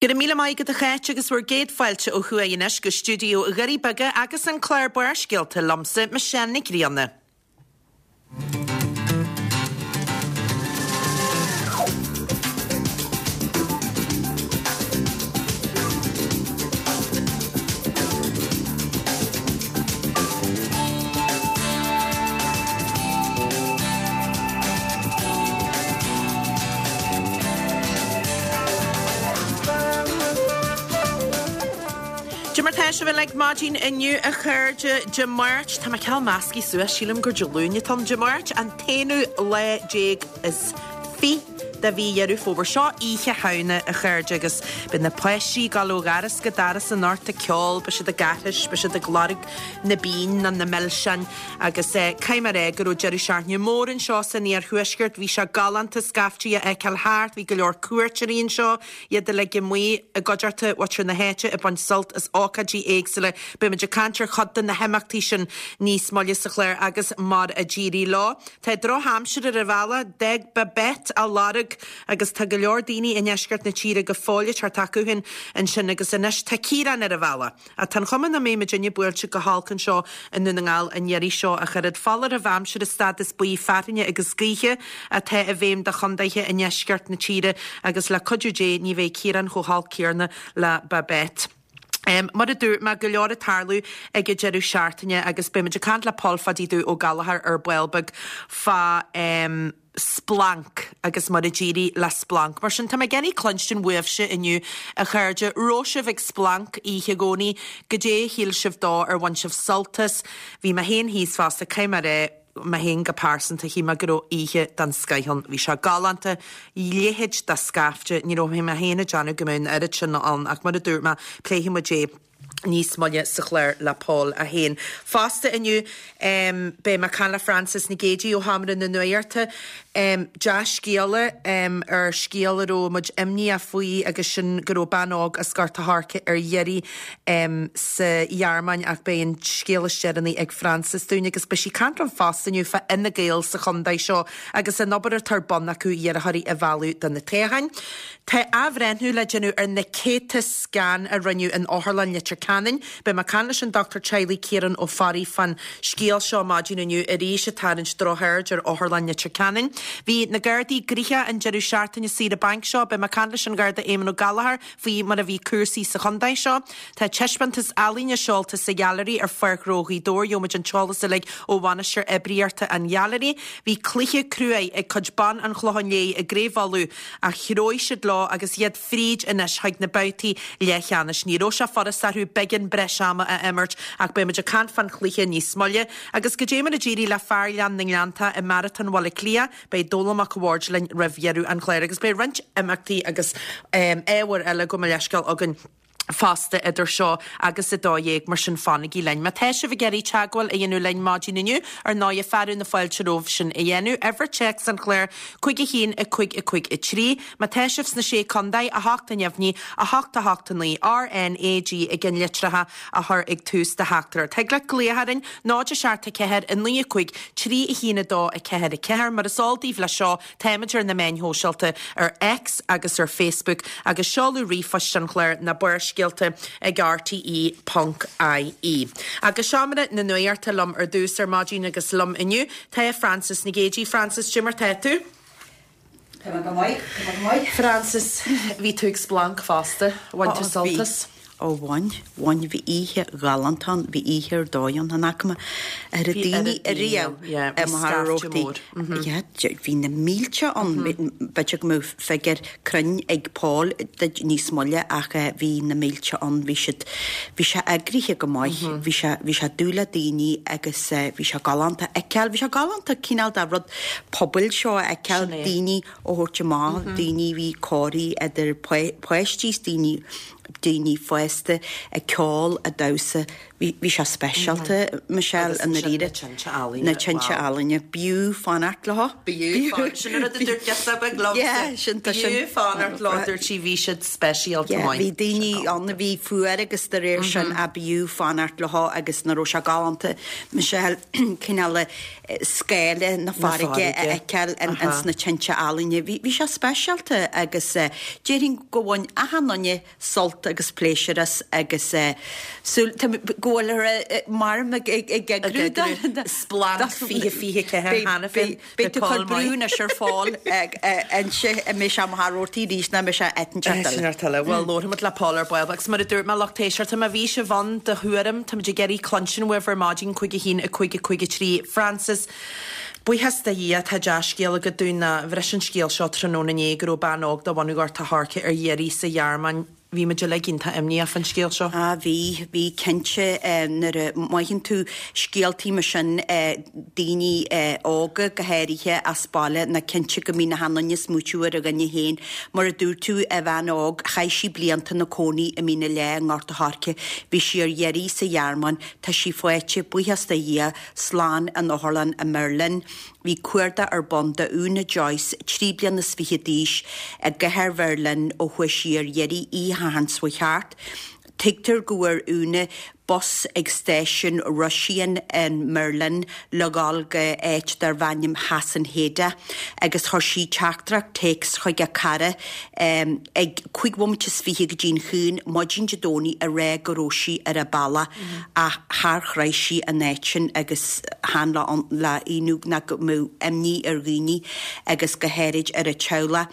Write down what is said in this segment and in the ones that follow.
Go raibh míle maith agat a Cháit agus bhur gcéad fáilte ó thuaidh anois go stiúideo Dhoirí Beaga agus an clár Barrscéalta liomsa, Michelle Nic Grianna. Cad é mar tá sibh uilig maidin inniu a chairde Dé Máirt, tá mé cineál measctha suas, sílim gur Dé Luain atá ann, Dé Máirt an t-aonú lá déag is fi de mhí Dheireadh Fómhair. Seo Oíche Shamhna a chairde agus beidh na páistí ag dul ó dhoras go doras anocht ag ceol, beidh siad ag aithris, beidh siad ag lorg na bpingin nó na milseáin agus caithfidh mé a rá go raibh deireadh seachtaine mór anseo san iarthuaisceart. Bhí sé galánta scaiftí a fheiceáil thart, bhí go leor cuairteoirí anseo, iad uilig amuigh i gcuideachta mhuintir na háite ag baint sult as ócáidí éagsúla. Beidh muid ag caint ar chuid de na himeachtaí sin níos moille sa chlár agus mar a d'éirigh leo. Tá drochaimsir ar an bhealach, d'fhág Babet a lorg agus tá go leor daoine i ndeisceart na tíre go fóill ag teacht acu féin ansin agus anois tá Ciarán ar an bhealach. Ach tá an chuma nach mbeidh muidinne buailte go holc anseo i nDún na nGall an iarraidh seo ach oiread. Foláireamh aimsire stádas buí fearthainne agus gaoithe atá i bhfeidhm do chondaetha i ndeisceart na tíre agus le cuidiú Dé ní bheidh Ciarán chomh holc céarna le Babet. Mar a dúirt mé, go leor ag tarlú ag an deireadh seachtaine agus beidh muid ag caint le Pól Pháidí Dubh Ó Gallchóir ar ball beag fá Splanc agus mar a d'éirigh le Splanc. Mar sin, tá mé ag iarraidh cluinstin uaibhse inniu, a chairde. Raibh sibh ag Splanc oíche Dhomhnaigh? Goidé a shíl sibh dó? Ar bhain sibh sult as? Bhí mé féin thíos fosta, caithfidh mé a rá, mé féin go pearsanta, shíl mé go raibh oíche den scoith ann. Bhí sé galánta, leithéid de scaifte, ní raibh mé féin ag déanamh go mbeadh an oiread sin ann ach mar a dúirt mé, pléifidh muid é. níos moille sa chlár le Pól é féin. Fosta inniu beidh mé ag caint le Frances Nic Géadaigh ó Sheomra na Nuachta. Dea-scéala ar scéal a raibh muid imníoch faoi agus sin go raibh bean óg as Gort a' Choirce ar iarraidh sa Ghearmáin ach beidh an scéal is deireanaí ag Frances dúinn agus beidh sí ag caint liom fosta inniu fá Fhine Gael sa chontae seo agus an obair atá ar bun acu iarrthóirí a mhealladh do na toghcháin. Tá athbhreithniú le déanamh ar na céadta scan a rinneadh in Otharlann Leitir Ceanainn. Beidh mé ag caint leis an Dochtúir Teaghlaigh Ciarán Ó Fearraigh fán scéal seo maidin inniu arís ag tarraingt drochaird ar Otharlann Leitir Ceanainn. Bhí na Gardaí gnoitheach an deireadh seachtaine saoire bainc seo. Beidh mé ag caint leis an Gharda Éamon Ó Gallchóir faoi mar a bhí cúrsaí sa chontae seo. Tá taispeántas ealaíne seolta sa Ghailearaí ar Pháirc Ghnó Ghaoth Dobhair. Gheobhaimid an t-eolas uilig ó bhainisteoir oibríochta an Ghailearaí. Bhí cluiche cruaidh ag cuid ban an Chlocháin Léith i gCraobh Uladh ach threabh siad leo agus iad fríd anois chuig na babhtaí leathcheannais. Ní raibh sé furasta orthu beagán breis ama a imirt ach beidh muid ag caint fán chluiche níos moille. Agus goidé mar a d'éirigh le fear Ghleann na nGleanntach i Maratón Bhaile Átha Cliath, beidh Dónall Mac a' Bhaird linn roimh dheireadh an chláir agus beidh roinnt imeachtaí agus ábhair eile gabh mo leithscéal againn fosta idir seo agus 12, mar sin fanaigí linn. Má tá sibh ag iarraidh teagmháil a dhéanamh linn maidin inniu, ar ndóighe, fearadh na fáilte romhaibh sin a dhéanamh. Uimhir téacs an chláir, 5 1 5 5 3. Má tá sibh sna Sé Contae, 8 neamhní, 8 8 9, RNAG i gceannlitreacha a chur ag tús do theachtaireacht. Thig leat glaoch orainn, 0 7 4 9 5 3 1 2 4 4. Mar is eol daoibh leis seo, Táimid ar na meáin shóisialta, ar X agus ar Facebook, agus seoladh ríomhphoist an chláir ná Barrscéalta ag rte ponc ie. Agus Seomra na Nuachta liom ar dtús ar maidin agus liom inniu tá Frances Nic Géadaigh. Frances, cad é mar tá tú? Tá mé go maith, tá mé go maith. Frances, bhí tú ag Splanc fosta, bhain tú sult as? Ó bhain, bhain, bhí oíche ghalánta ann, bhí oíche ar dóigh ann, chan fhaca mé oiread daoine ariamh i Machaire Rabhartaigh. Yeah, bhí na mílte ann, b'fhéidir go mbeadh figiúr cruinn ag Paul duit níos moille ach bhí na mílte ann, bhí siad, bhí sé eagraithe go maith, bhí sé, bhí sé dubh le daoine agus bhí sé galánta a fheiceáil, bhí sé galánta cineál de rud pobail seo a fheiceáil, daoine a thabhairt amach, daoine, bhí corraí idir páistí is daoine. daoine fásta ag ceol, ag damhsa, bhí, bhí sé speisialta, Michelle, i ndáiríre. Agus ansin na tinte ealaíne. Na tinte ealaíne. B'fhiú fanacht leo. B'fhiú fanacht, sin an rud a dúirt girseach beag liomsa. Yeah, sin, tá sin. B'fhiú fanacht leo, dúirt sí, bhí siad speisialta Yeah, maith. bhí daoine ann a bhí fuar agus de réir sin a b'fhiú fanacht leo agus nach raibh sé galánta, Michelle, cineál scáile na farraige a fheiceáil ins na tinte ealaíne. Bhí sé speisialta agus déarfainn go bhain achan duine sult agus pléisiúr as agus súil go bhfuil maram ag eagrú do Splanc 2024 cheana féin. Beidh tú ag cur brú anois ar Phól inse an mbeidh sé Machaire Rabhartaigh arís nó an mbeidh sé áit inteacht eile. Sin eile. Bhuel, labharfaimid le Paul ar ball agus mar a dúirt mé, lucht éisteachta, má bhí sibh ann do thuairim, táimid ag iarraidh cluinstin uaibh ar maidin, 5 1 5 5 3. Frances, Buíochas do Dhia, tá dea-scéal agat dúinn ná bhris an scéal seo tráthnóna inné go raibh bean óg de bhunadh Ghort a' Choirce ar iarraidh sa Ghearmáin. Bhí muid uilig iontach imníoch fán scéal seo. Ah bhí, bhí cinnte. Nuair a mhothaíonn tú scéaltaí mar sin, daoine óga go háirithe as baile, ná cinnte go mbíonn achan duine ag smaoitiú ar a dhuine féin. Mar a dúirt tú, a bhean óg, chaith sí blianta ina cónaí i Mín an Leá i nGort a' Choirce. Bhí sí ar iarraidh sa Ghearmáin. Tá sí faighte, buíochas do Dhia, slán in otharlann i mBerlin. Bhí cuardach ar bun do Úna Joyce, 23 bliana d'aois, i gcathair Bheirlin ó chuaigh sí ar iarraidh oíche Shathairn seo chuaigh thart. Tuigtear go bhfuair Úna bus ag stáisiún Rosien i mBerlin le dhul go áit darbh ainm Hasenheide agus chuir sí teachtaireacht téacs chuig a cara ag 25 bhomaite go dtí'n haon maidin Dé Domhnaigh ag rá go raibh sí ar a bealach. Ach char shroich sí an áit sin agus chan le hionadh ná go mbeadh imní ar dhaoine agus go háirid ar a teaghlach.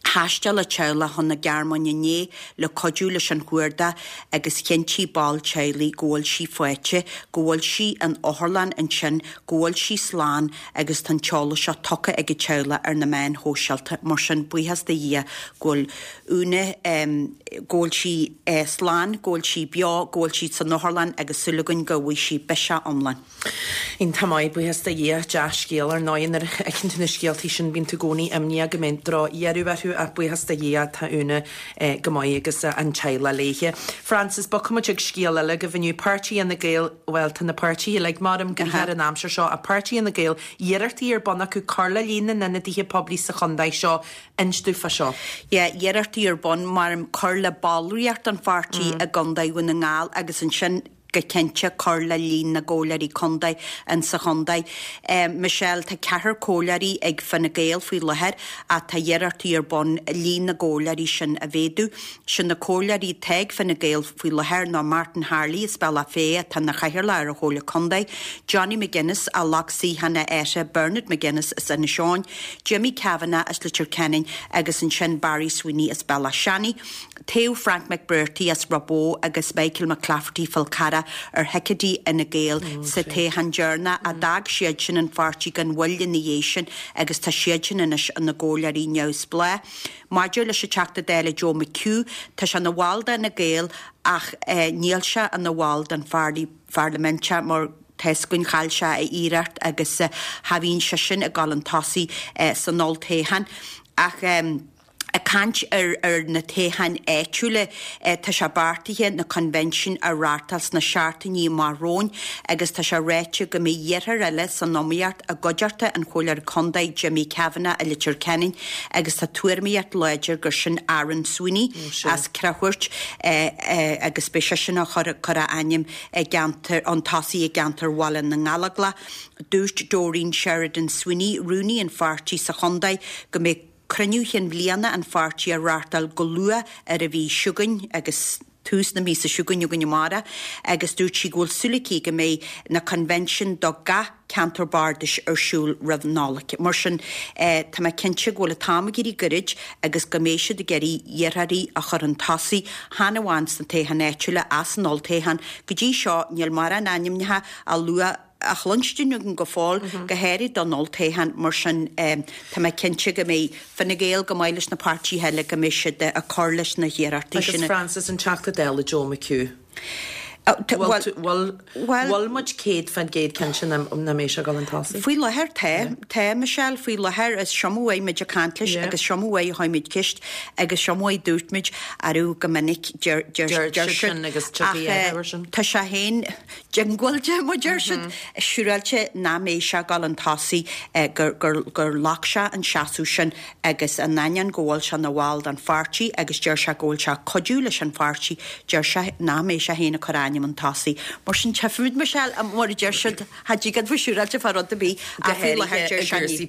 Thaistil a teaghlach chun na Gearmáine inné le cuidiú leis an chuardach agus chinntigh ball teaghlaigh go bhfuil sí faighte, go bhfuil sí in otharlann ansin, go bhfuil sí slán agus tá an t-eolas seo tugtha ag a teaghlach ar na meáin shóisialta. Mar sin, buíochas do Dhia go bhfuil Úna, go bhfuil sí slán, go bhfuil sí beo, go bhfuil sí san otharlann agus súil againn go bhfaighidh sí biseach iomlán. Iontach maith, buíochas do Dhia. Dea-scéal ar ndóigh. Nuair a fheiceann tú na scéaltaí sin bíonn tú i gcónaí imníoch go mbeidh drochdheireadh orthu ach buíochas do Dhia tá Úna go maith agus an teaghlach léithe. Frances, bogfaimid ag scéal eile agaibh inniu. Páirtí Fhine Gael, bhuel tá na páirtithe uilig maram gnoitheach ar an aimsir seo ach Páirtí Fhine Gael, iarrachtaí ar bun acu cur le líon na n-ionadaithe poiblí sa chontae seo. Inis dúinn fá seo. Yeah, iarrachtaí ar bun, maram, cur le ballraíocht an pháirtí i gContae Dhún na nGall agus ansin go cinnte cur le líon na gcomhairleoirí contae in sa chontae. Michelle, tá ceathrar comhairleoirí ag Fine Gael faoi láthair ach tá iarrachtaí ar bun líon na gcomhairleoirí sin a mhéadú. Sin na comhairleoirí atá ag Fine Gael faoi láthair ná Martin Harley as Bealach Féich atá ina chathaoirleach ar an Chomhairle Contae, Johnny McGuinness as Loch Slighean a athair Bernard McGuinness as Inis Eoghain, Jimmy Kavanagh as Leitir Ceanainn agus ansin Barry Sweeney as Bealach Seanaidh. Toghadh Frank McBrearty as Ráth Bhoth agus Michael McClafferty Fál Carrach ar thicéidí Fhine Gael sa toghchán deireanach ach d'fhág siadsan an pháirtí gan mhoill ina dhiaidh sin agus tá siadsan anois ina gcomhairleoirí neamhspleách. Maidir leis an Teachta Dála Joe McHugh, tá sé ina bhall d'Fhine Gael ach níl sé ina bhall den pharlaimint mar tá 'fhios againn chaill sé a iarracht agus cha bhíonn seisean ag dul chun tosaigh san olltoghchán. Ach ag caint ar na toghcháin áitiúla, tá sé beartaithe na coinbhinsiúin a reáchtáil sna seachtainí amach romhainn agus tá sé ráite go mbeidh iarrthóir eile san iomaíocht i gcuideachta an Chomhairleora Contae Jimmy Kavanagh i Leitir Ceanainn agus tá tuairimíocht láidir gur sin Aaron Sweeney as Creachúirt agus beidh seisean á chur a ainm i gceantar chun tosaigh i gceantar Bhaile na nGallóglach. Dúirt Doreen Sheridan Sweeney, rúnaí an pháirtí sa chontae, go mbeidh cruinniú chinn bhliana an pháirtí á reáchtáil go luath ar an mhí seo chugainn agus tús na míosa seo chugainn againn amárach agus dúirt sí go bhfuil súil aici go mbeidh na coinbhinsiúin do gach ceantar bardais ar siúl roimh Nollaig. Mar sin, tá mé cinnte go bhfuil an t-am ag éirí goirid agus go mbeidh siad ag iarraidh iarrthóirí a chur chun tosaigh, chan amháin sna toghcháin áitiúla ach san olltoghchán. Go dtí seo, níl mórán ainmneacha á lua, á chluinstin againn go fóill, go háirid don olltoghchán. Mar sin, tá mé cinnte go mbeidh Fine Gael, go maith leis na páirtithe eile, go mbeidh siad ag cur leis na hiarrachtaí sin. Agus Frances, an Teachta Dála Joe McHugh. Bhfuil bhfuil muid 100% cinnte nach mbeidh sé ag dul chun tosaigh? Faoi láthair tá. Tá, Michelle, faoi láthair is seo uaidh muid ag caint leis agus seo uaidh a chuir muid ceist agus seo uaidh dúirt muid arú go minic deir deir deir siad agus ach tá sé féin diongbháilte mar deir siad siúráilte nach mbeidh sé ag dul chun tosaigh gur gur gur ghlac sé an seasamh sin agus in ainneoin go bhfuil sé ina bhall den pháirtí agus deir sé go bhfuil sé ag cuidiú leis an pháirtí, deir sé nach mbeidh sé féin ag cur a ainm chun tosaigh. Mar sin tchífimid, Michelle, mar a deir siad, cha dtig a bheith siúráilte fá rud ar bith ach faoi láthair deir sé ní.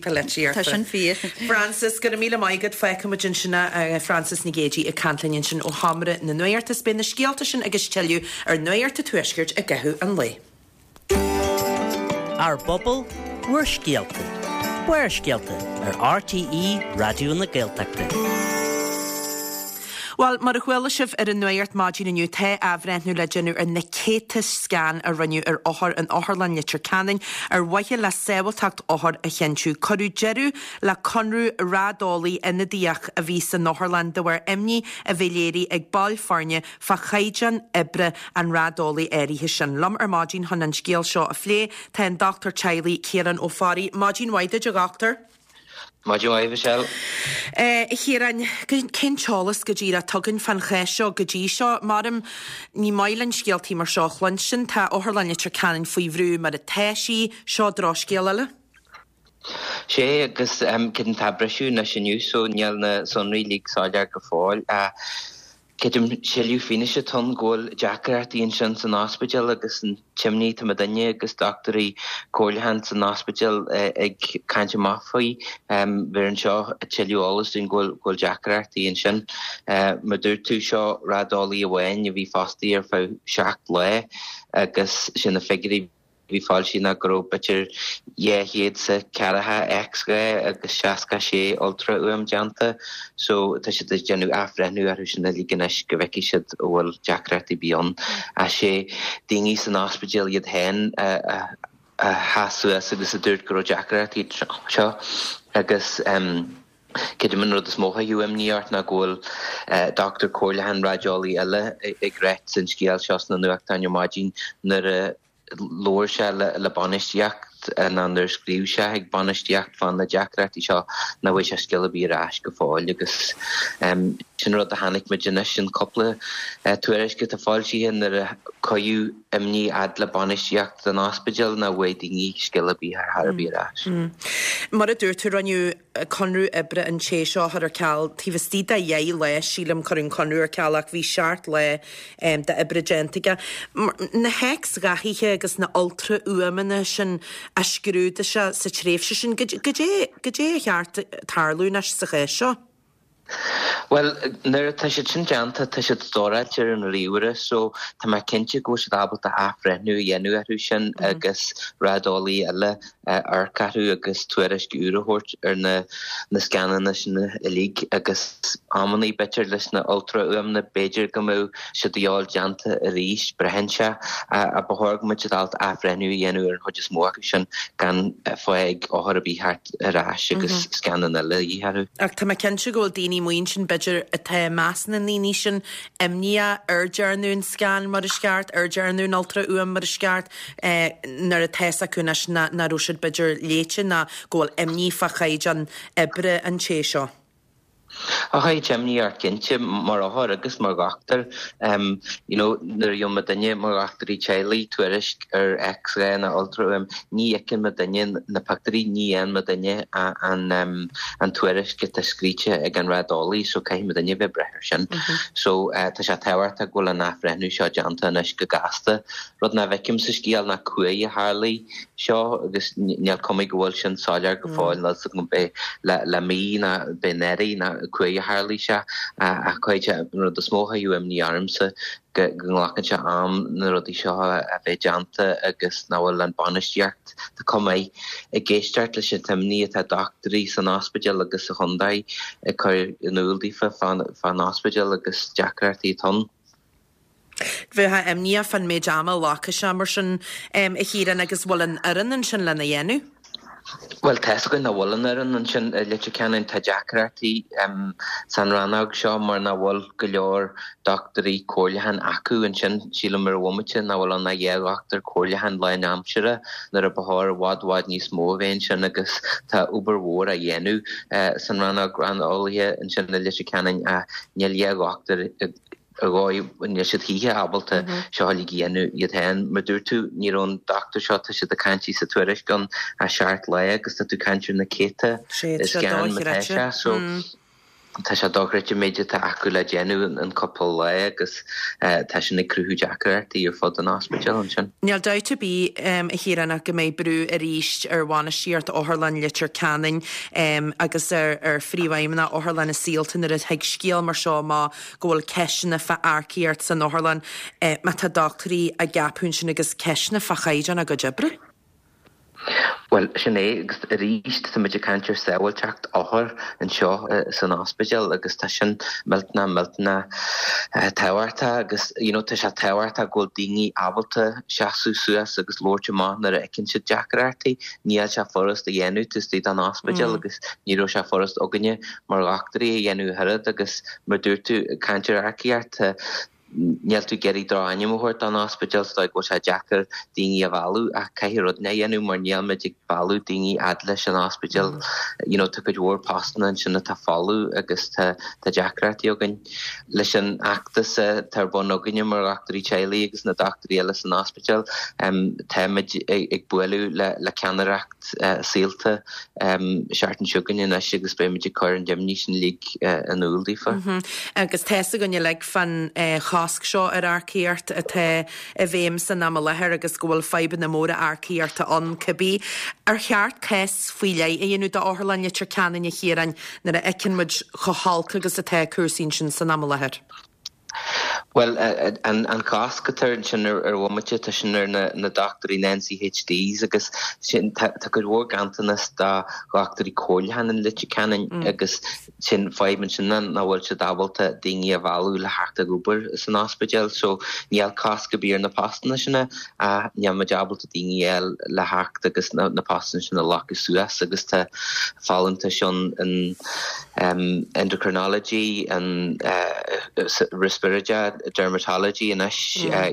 Tá sin fíor. Frances, go raibh míle maith agat. Fágfaidh muid ansin é, Frances Nic Géadaigh ag caint linn ansin ó Sheomra na Nuachta. Beidh na scéalta sin agus tuilleadh ar Nuacht an Tuaiscirt i gcaitheamh an lae. Ár bpobal, bhur scéalta. Barrscéalta ar RTÉ Raidió na Gaeltachta. Bhuel, mar a chuala sibh ar an Nuacht maidin inniu, tá athbhreithniú le déanamh ar na céadta scan a rinneadh ar othair in Otharlann Leitir Ceanainn ar mhaithe le sábháilteacht othar a chinntiú. Cuireadh deireadh le conradh raideolaí ionadaíoch a bhí san otharlann de bharr imní a bhí léirithe ag baill foirne fá chaighdeán oibre an raideolaí áirithe sin. Liom ar maidin chun an scéal seo a phlé tá an Dochtúir Teaghlaigh Ciarán Ó Fearraigh. Maidin mhaith duit, a Dhochtúir. Maidin mhaith, Michelle. A Chiaráin, cén t-eolas go díreach atá againn fán chás seo go dtí seo? Maram, ní maith linn scéaltaí mar seo a chluinstin. Tá Otharlann Leitir Ceanainn faoi bhrú mar atá sí. Seo drochscéal eile. Sé, agus creidim tá briseadh anois inniu so níl na sonraí uilig soiléir go fóill. Creidim tuilleadh fianaise atá ann go bhfuil deacrachtaí ansin san ospidéal agus an t-imní atá muidinne agus dochtúirí comhairleacháin san ospidéal ag caint amach faoi. Bheireann seo tuilleadh eolas dúinn go bhfuil deacrachtaí ansin. Mar dúirt tú, seo raideolaí amháin a bhí fostaithe ar feadh 7 lá agus sé na figiúirí bhí foilsithe ná go raibh b'fhéidir 240 X-ray agus 66 ultrafhuaim déanta so tá siad ag déanamh athbhreithniú orthu sin uilig anois go bhfeicfidh siad an bhfuil deacrachtaí ar bith ann. Ach sé daoine san ospidéal iad féin a sheas suas agus a dúirt go raibh deacrachtaí anseo agus Creidim an rud is mó a chuirfeadh imní ort ná go bhfuil dochtúir comhairleacháin raideolaí eile ag ráit an scéal seo sna nuachtáin ar maidin nuair a labhair sé le bainistíocht nó nuair a scríobh sé chuig bainistíocht fá na deacrachtaí seo nach bhfuair sé scéal ar bith ar ais go fóill agus sin rud a chonaic muid anois in cúpla tuairisc atá foilsithe nuair a cuireadh imní fhad le bainistíocht an ospidéil nach bhfuair daoine scéal ar bith ar chor ar bith ar ais. Mar a dúirt tú, rinneadh conradh oibre an té seo a chur ar ceal taobh istigh de dheich lá, sílim, cuireadh an conradh ar ceal ach bhí seacht lá d'oibre déanta aige. Na X-ghathaithe agus na ultrafhuaimeanna sin a scrúdaigh sé sa tréimhse sin, goidé goidé ar cheart tarlú anois sa chás seo? Bhuel, nuair atá siad sin déanta, tá siad stóráilte ar an ríomhaire so tá mé cinnte go bhfuil siad ábalta athbhreithniú a dhéanamh orthu sin agus raideolaí eile amharc orthu agus tuairisc úr a thabhairt ar na na scananna sin uilig agus amannaí b'fhéidir leis na ultrafhuaimeanna b'fhéidir go mbeadh siad a dhíobháil déanta arís, braitheann sé ach ba chóir go mbeadh siad ábalta athbhreithniú a dhéanamh ar an chuid is mó acu sin gan fáth ag othar ar bith theacht ar ais agus scannán eile a dhíth orthu. Ach tá mé cinnte go bhfuil daoine amuigh ansin b'fhéidir atá i measc na ndaoine sin imníoch ar dearnadh an scan mar is ceart, ar dearnadh an ultrafhuaim mar is ceart. nuair atá fhios acu anois nach raibh siad b'fhéidir léite ná go bhfuil imní fá chaighdeán oibre an té seo. Ach tá imní ort cinnte, mar othar agus mar dhochtúir. You know, nuair a gheobhann muidinne mar dhochtúirí teaghlaigh tuairisc ar X-ray nó ultrafhuaim, ní fheiceann muidinne na pictiúirí, ní fhaigheann muidinne an an tuairisc atá scríte ag an raideolaí, so caithfidh muidinne bheith ag brath air sin. So tá sé tábhachtach go bhfuil an athbhreithniú seo déanta anois go gasta. Rud nach bhfeicim sa scéal ná cá huair a tharlaigh seo agus níl cuma go bhfuil sin soiléir go fóill, níl 's agam ab é le mí nó ab é anuraidh nó cá huair a tharlaigh sé ach cuid an rud is mó a chuirfeadh imní ormsa go nglacann sé am na rudaí seo a bheith déanta agus nach bhfuil an bainistíocht, tá cuma air, ag éisteacht leis an t-imní atá dochtúirí san ospidéal agus sa chontae ag cur in iúl daofa fán ospidéal agus deacrachtaí atá ann. Bheifeá imníoch fán méid ama a ghlacfaidh sé mar sin, a Chiaráin, agus bhfuil an fhoireann ansin lena dhéanamh? Bhuel, tá's againn nach bhfuil an fhoireann ansin i Leitir Ceanainn. Tá deacrachtaí san rannóg seo mar nach bhfuil go leor dochtúirí comhairleacháin acu ansin. Sílim ar an bhomaite nach bhfuil ann ach 2 dhochtúir comhairleacháin lánaimseartha nuair a ba chóir i bhfad bhfad níos mó a bheith ansin agus tá obair mhór á dhéanamh san rannóg raideolaithe ansin i Leitir Ceanainn ach níl 2 dhochtúir ar dhóigh, níl siad choíche ábalta seo uilig a dhéanamh iad féin. Mar dúirt tú, ní raibh an dochtúir seo, tá siad ag caint sa tuairisc ann ach 7 lá agus tá tú ag caint ar na céadta scan má tá sé. So tá sé dochreidte an méid atá acu le déanamh in cúpla lá agus tá sin ag cruthú deacrachtaí ar fud an ospidéil ansin. Níl dabht ar bith, a Chiaráin, ach go mbeidh brú arís ar bhainistíocht Otharlann Leitir Ceanainn agus ar phríomhfheidhmeannach Otharlann Saolta nuair a thig scéal mar seo amach go bhfuil ceisteanna fá earcaíocht san otharlann, má tá dochtúirí á gceapadh ansin agus ceisteanna fá chaighdeán a gcuid oibre. Bhuel, sin é, agus arís tá muid ag caint ar sábháilteacht othar anseo san ospidéal agus tá sin millteanach, millteanach tábhachtach agus you know tá sé tábhachtach go bhfuil daoine ábalta seasamh suas agus labhairt amach nuair a fheiceann siad deacrachtaí. Níl sé furast a dhéanamh taobh istigh den ospidéal agus ní raibh sé furast againne mar dhochtúirí a dhéanamh ach oiread agus mar dúirt tú, ag caint ar earcaíocht, níl tú ag iarraidh drochainm a thabhairt don ospidéal, is dóigh go bhfuil sé deacair daoine a mhealladh ach caithfidh rud a dhéanamh mar níl muid ag mealladh daoine fhad leis an ospidéal. You know, tá cuid mhór postanna ansin atá folamh agus tá tá deacrachtaí againn. Leis an fheachtas atá ar bun againne mar dhochtúirí teaghlaigh agus na dochtúirí eile san ospidéal, táimid ag bualadh le le ceannaireacht Saolta seachtain seo chugainn anois agus beimid ag cur an imní sin uilig in iúl daofa. Agus tá's againn uilig fán chosc seo ar earcaíocht atá i bhfeidhm san am i láthair agus go bhfuil fadhbanna móra earcaíochta ann cibé. Ar cheart cás faoi leith a dhéanamh d'Otharlann Leitir Ceanainn a Chiaráin nuair a fheiceann muid chomh holc agus atá cúrsaí ansin san am i láthair? Bhuel, an cosc atá ansin ar bhomaite, tá sin ar na dochtúirí, na NCHDs, agus sin, tá cuid mhór ganntanas do dhochtúirí comhairleacháin in Leitir Ceanainn agus sin fadhb ansin ná nach bhfuil siad ábalta daoine a mhealladh le theacht ag obair san ospidéal. So níl cosc ar bith ar na postanna sin ach níl muid ábalta daoine a fháil le theacht agus na postanna sin a ghlacadh suas agus tá folúntais ann in endocrinology, an respiratory, dermatology anois,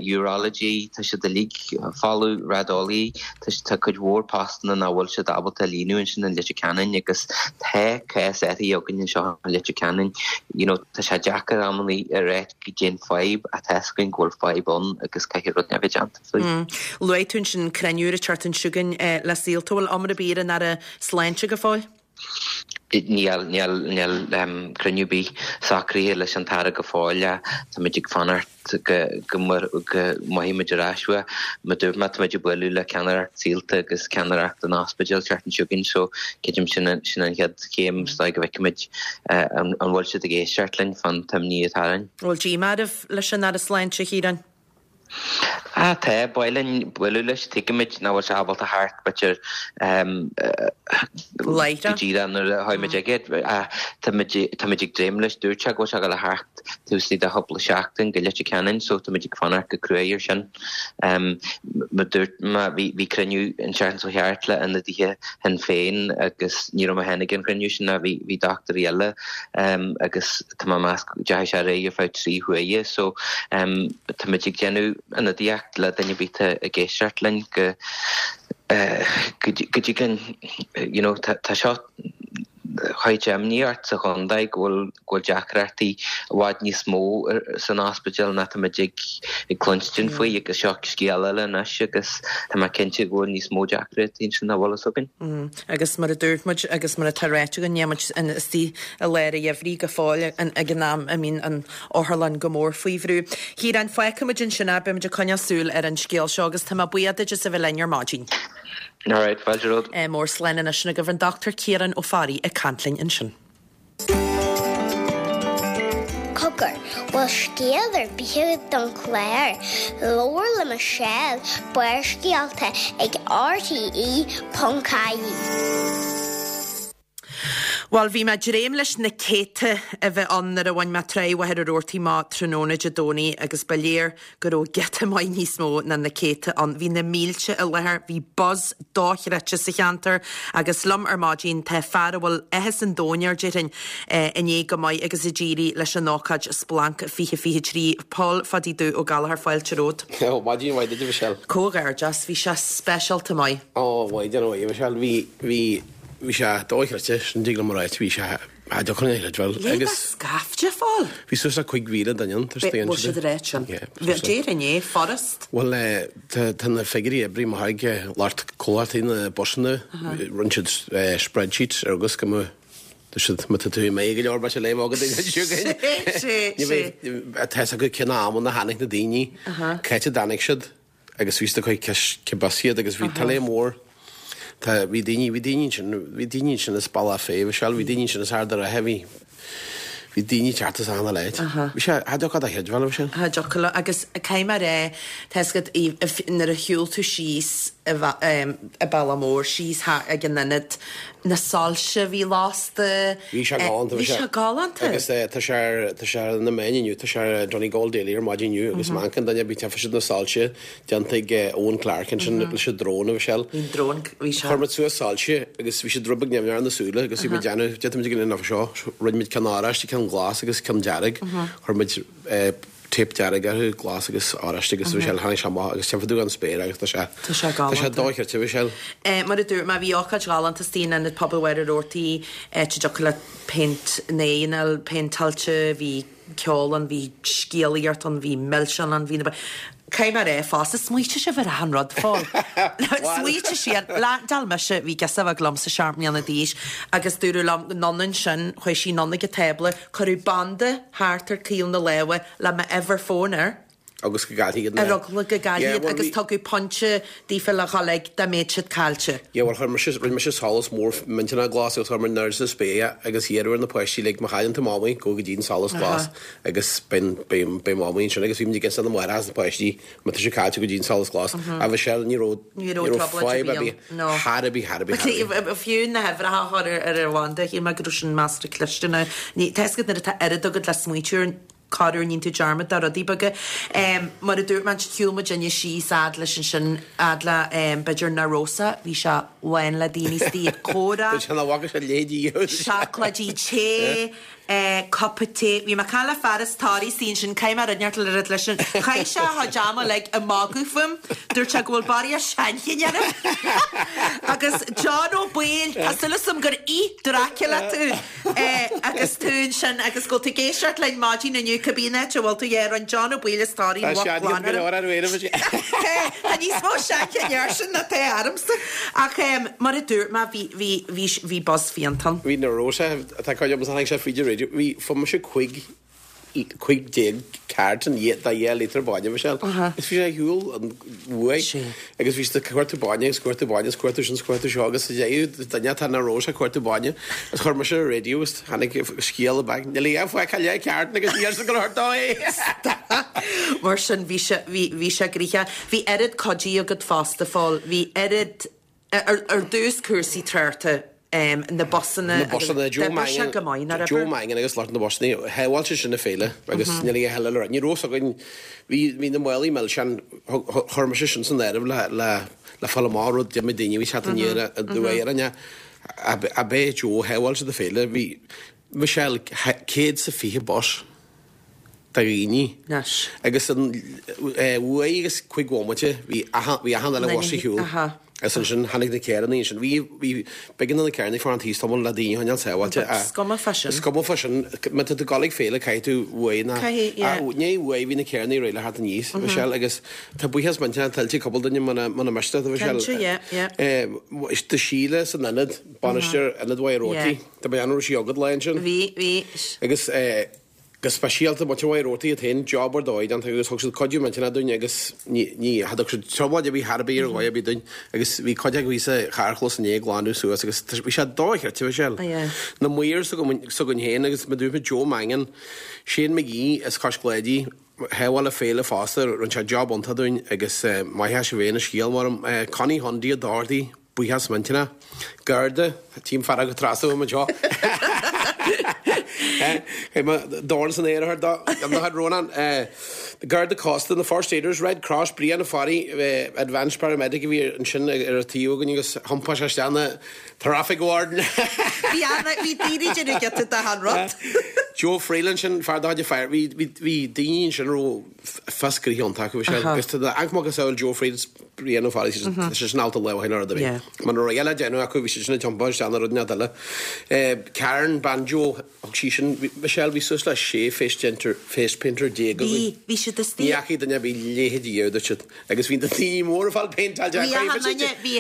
urology, tá siad uilig folamh, raideolaí, tá cuid mhór postanna nach bhfuil siad ábalta a líonadh ansin in Leitir Ceanainn agus tá cás athraithe againn anseo in Leitir Ceanainn. You know, tá sé deacair amannaí a rá goidé an fadhb ach tá fhios againn go bhfuil fadhb ann agus caithfidh rud a bheith déanta faoi. Luaigh tú ansin cruinniú ar an tseachtain seo chugainn le Saolta, bhfuil iomrá ar bith ar an Aire Sláinte go fóill? Níl, níl, níl cruinniú ar bith socraithe leis an tAire go fóill. Táimid ag fanacht go, go, go mothaímid muid ar ais uaidh. Mar dúirt mé, táimid ag bualadh le ceannaireacht Saolta agus ceannaireacht an ospidéil seachtain seo chugainn so creidim sin an, sin an chéad chéim is dóigh go bhfeicfimid an, an bhfuil siad ag éisteacht linn fán t-imní atá orainn. An bhfuil díomá oraibh leis an Aire Sláinte, a Chiaráin? Ah, tá, ba mhaith linn bualadh leis, tuigimid nach bhfuil sé ábalta theacht b'fhéidir go díreach nuair a tháimid aige, táimid táimid ag dréim leis, dúirt sé go bhfuil sé ag dul a theacht taobh istigh de chúpla seachtain go Leitir Ceanainn so táimid ag fanacht go cruaidh ar sin. Mar dúirt mé, bhí bhí cruinniú an tseachtain seo thart le ionadaithe Shinn Féin agus ní raibh mé féin ag an chruinniú sin ach bhí bhí dochtúirí eile agus tá mé ag meas go ndeachaigh sé ar aghaidh ar feadh 3 huaire so táimid ag déanamh ionadaíocht le duine ar bith atá ag éisteacht linn go go dtuigeann you know tá seo chuid imní ort sa chontae go bhfuil go bhfuil deacrachtaí i bhfad níos mó san ospidéal ná táimid ag ag cluinstin faoi agus seo scéal eile anois agus tá mé cinnte go bhfuil níos mó deacrachtaí ansin ná bhfuil fhios againn. Agus mar a dúirt muid, agus mar atá ráite againn, níl muid istigh i lár an gheimhridh go fóill ag an am a mbíonn an otharlann go mór faoi bhrú. A Chiaráin, fágfaidh muid ansin é, beidh muid ag coinneáil súil ar an scéal seo agus tá mé buíoch duit as a bheith linn ar maidin. Alright, fáilte romhat. Mór slán anois sin agaibh an Dr Ciarán Ó Fearraigh ag caint linn ansin. Cogar, bhfuil scéal ar bith agat don chlár? Labhair le Michelle, Barrscéalta ag RTE.ie. Bhuel, bhí mé ag dréim leis na céadta a bheith ann nuair a bhain mé Tráigh Mhachaire Rabhartaigh amach tráthnóna Dé Domhnaigh agus ba léir go raibh giota maith níos mó ná na céadta ann. Bhí na mílte i láthair, bhí buzz dochreidte sa cheantar agus liom ar maidin tá fear a bhfuil áthas an domhain air, déarfainn, i ndiaidh go maith agus a d'éirigh leis an ócáid Splanc 2023. Pól Phadaí Dubh Ó Gallchóir, fáilte romhat. Ó, maidin mhaith duit, a Mhichelle. Comhghairdeas, bhí sé speisialta maith. Ó, maidin mhaith, a Mhichelle. Bhí, bhí. Bhí sé dochreidte, sin a dtig liom a ráit, bhí sé, cha dtiocfadh linn a chreidbheáil Léigh agus. scaifte, a Phóil! Bhí suas le 5,000 duine ann, tá siad Bhfuil siad ag ráit sin? Yeah. Déarfainn é, furast. Bhuel eh, tá, tá na figiúirí oibrithe amach ag lucht comhlachtaí na busanna, rinne siad eh spreadsheets agus go mba, tá siad, má tá tú maith go leor beidh sé léamh agat ag an Sé, sé, Ní sé. bheidh, tá fhios acu cén amanna a tháinig na daoine, cá háit a dtáinig siad. agus bhí siad ag cur ceist bus iad agus bhí tuile mór tá bhí daoine bhí daoine ansin bhí daoine ansin as Bealach Féich Michelle bhí daoine ansin as Ard an Rátha bhí bhí daoine ag teacht as achan uile áit. Bhí sé cha dtiocfadh leat a chreidbheáil Michelle. Cha dtiocfadh leat agus caithfidh mé a rá tá fhios agat nuair a shiúil tú síos i Bealach Mór síos ag an ionad na soilse a bhí lasta. Bhí sé galánta. Bhí sé galánta. Agus tá sé ar, tá sé ar na meáin inniu, tá sé ar Donegal Daily ar maidin inniu agus má amharcann duine ar bith tchífidh siad na soilse déanta ag Owen Clarke ansin leis an drone a Mhichelle. Bhí an drone, bhí sé. Chuir muid suas soilse agus bhí siad rud beag nimhneach ar na súile agus bhí muid ag déanamh, déanfaidh muid ag an seo, rinne muid ceann oráiste, ceann glas agus ceann dearg. Chuir muid tape dearg orthu, glas agus oráiste agus Michelle, tháinig sé amach agus tchífidh tú an spéir agus tá sé, Tá sé galánta. tá sé dochreidte Michelle. Mar a dúirt mé, bhí ócáid ghalánta istigh in Ionad Pobail Mhachaire Rabhartaigh, áit a dtiocfadh leat péint na n-aghaidheanna a phéinteáilte, bhí ceol ann, bhí scéalaíocht ann, bhí milseáin ann, bhí na. Caithfidh mé a rá fosta, smaoitigh sibh ar achan rud, Phóil. Smaoitigh siad, leaindeáil mise, bhí girseach bheag liomsa, seacht mbliana d'aois, agus dúradh liom, anonn ansin, chuaigh sí anonn ag an tábla, Cuireadh banda thart ar caol na láimhe le m'uimhir fóin air. Agus go gcaillfí iad na. Ar eagla go gcaillfí iad agus tugadh pointe daofa le dhul ag dá mbeadh siad caillte. Yeah bhuel chuir mise, rinne mise solas mór millteanach glas agus chuir mé in airde sa spéir é agus iarradh ar na páistí like má chailleann tú mamaí gabh go dtí an solas glas agus beidh, beidh, beidh mamaí ansin agus bhí muid ag inse do na máithreacha is na páistí má tá sé caillte gabh go dtí an solas glas. A Mhichelle ní raibh, Ní raibh fadhb ar bith thar ar bith, thar ar bith, thar ar bith. Fiú na huimhreacha a chur ar an bhanda, shíl mé go raibh sin measartha cliste now. Tá fhios agat nuair atá oiread agat le smaoitiú ar, corruair níonn tú dearmad de rudaí beaga. Mar a dúirt mé, shiúil muid inne síos fhad leis ansin, fhad le b'fhéidir Na Rosa, bhí sé lán le daoine istigh ag comhrá. Dúirt sé nach bhfaca sé a leithéidí riamh. Seacláidí tae. Cupa tae. Bhí mé ag caint le fear as Toraigh istigh ansin, caithfidh mé rud inteacht le rud leis sin. Chaith sé a chuid ama uilig ag magadh fúm. Dúirt sé go bhfuil barraíocht seanchinn orm. Agus John Ó Baoill, tá súil agam gur ith Dracula tú agus tú ansin agus go bhfuil tú ag éisteacht linn maidin inniu, cibé an áit a bhfuil tú, yeah, rinne John Ó Baoill as Toraigh Tá lucht seanchinn go leor ar uairibh. Tá níos mó seanchinn airsean ná tá ormsa. Ach mar a dúirt mé, bhí, bhí, bhí, bhí buzz fiánta ann. Bhí Na Rosa. Tá cuid agam tháinig sé fríd an raidió. Bhí, fuair mise 15, 15 carton de dheich líotar bainne, Michelle. Agus bhí sé ar shiúl an uaidh. Agus bhí siad ag cuartú bainne agus cuartú bainne agus cuartú sin 's cuartú seo agus sa deireadh duine atá Na Rosa ag cuartú bainne agus chuir mise ar an raidió agus tháinig scéal back. Níl a dhath fágtha leath carton agus níor sa go leor dó é. Mar sin bhí sé, bhí, bhí sé gnoitheach. Bhí oiread cuidí agat fosta, Phóil. Bhí oiread. Ar dtús cúrsaí tráchta, na busanna Na busanna, Joe Mangan, go maith, nach raibh? Joe Mangan agus lucht na busanna, shábháil sé sin an féile agus níl a dhath eile le rá. Ní raibh fhios againn, bhí, bhí na málaí milseán, chuir mise sin san áireamh le, le, le fáil amach rud d'imigh daoine a bhí teacht aniar aduaidh orainn ab é Joe, shábháil siad an féile, bhí, Michelle, 120 bus. de dhaoine. Anois. Agus an uair agus cuig bhomaite bhí achan bhí achan uile bhus ar shiúl. Agus ansin tháinig na carrannaí ansin. Bhí bhí b'éigean do na carrannaí fanacht thíos tamall le daoine a choinneáil sábháilte. Is cuma fá sin. Is cuma fá sin. Má tá tú ag dul ag féile caithfidh tú uaidh na Caithfidh, yeah. Ní uaidh bhí na carrannaí réidh le theacht aníos, Michelle, agus tá buíochas millteanach tuillte ag cúpla duine muna muna miste leat, a Mhichelle. Cinnte, yeah, yeah. Do Sheila san ionad, bainisteoir Ionad Mhachaire Rabhartaigh. Tá mé an raibh sí agat lá ansin? Bhí, bhí. Agus go speisialta muintir Mhachaire Rabhartaigh iad féin, job ar dóigh déanta agus thug siad cuidiú millteanach dúinn agus ní, ní, cha dtug siad trioblóid ar bith thar ar bith ar dhóigh ar bith dúinn agus bhí cuid acu thíos sa charrchlós inné ag glanadh suas agus bhí sé dochreidte, Michelle. Na maoir s'againn féin agus mar a dúirt mé Joe Mangan, Shane McGee as Cois Cláidí, shábháil an féile fosta, rinne sé job iontach dúinn agus maith as a bheith ina scéal mar, Connie Hundy a d'ardaigh. Buíochas millteanach. Garda, Tím fear agat trasna uaim anseo. Chaith mé dorn san aer a chur dó. An Rónán. Garda Cósta, na First Aiders, Red Cross, Brian Ó Fearraigh, Advanced Paramedic a bhí ansin ar an taobh againn agus thiompáil sé isteach ina Traffic Warden. Bhí ana, bhí daoine ag déanamh giota de achan rud. Joe Freeland sin, fear de chuid Fire, bhí, bhí, bhí daoine ansin a raibh fios gnoithe iontach acu, bhí sé, agus tá an-mhacasamhail Joe Freeland, Brian Ó Fearraigh, tá sé sin ábalta lámh a shíneadh ar rud ar bith. Muna raibh a dhath le déanamh acu, bhí siad sin ag tiompáil isteach ina rud inteacht eile. Karen, bean Joe, thug sí sin, Michelle, bhí suas le 16 face painter, face painter againn. Bhí, bhí siad istigh. Ní fhacaidh duine ar bith leithéid riamh, dúirt siad. Agus bhí na daoine móra ag fáil péinteáilte Bhí achan duine, bhí,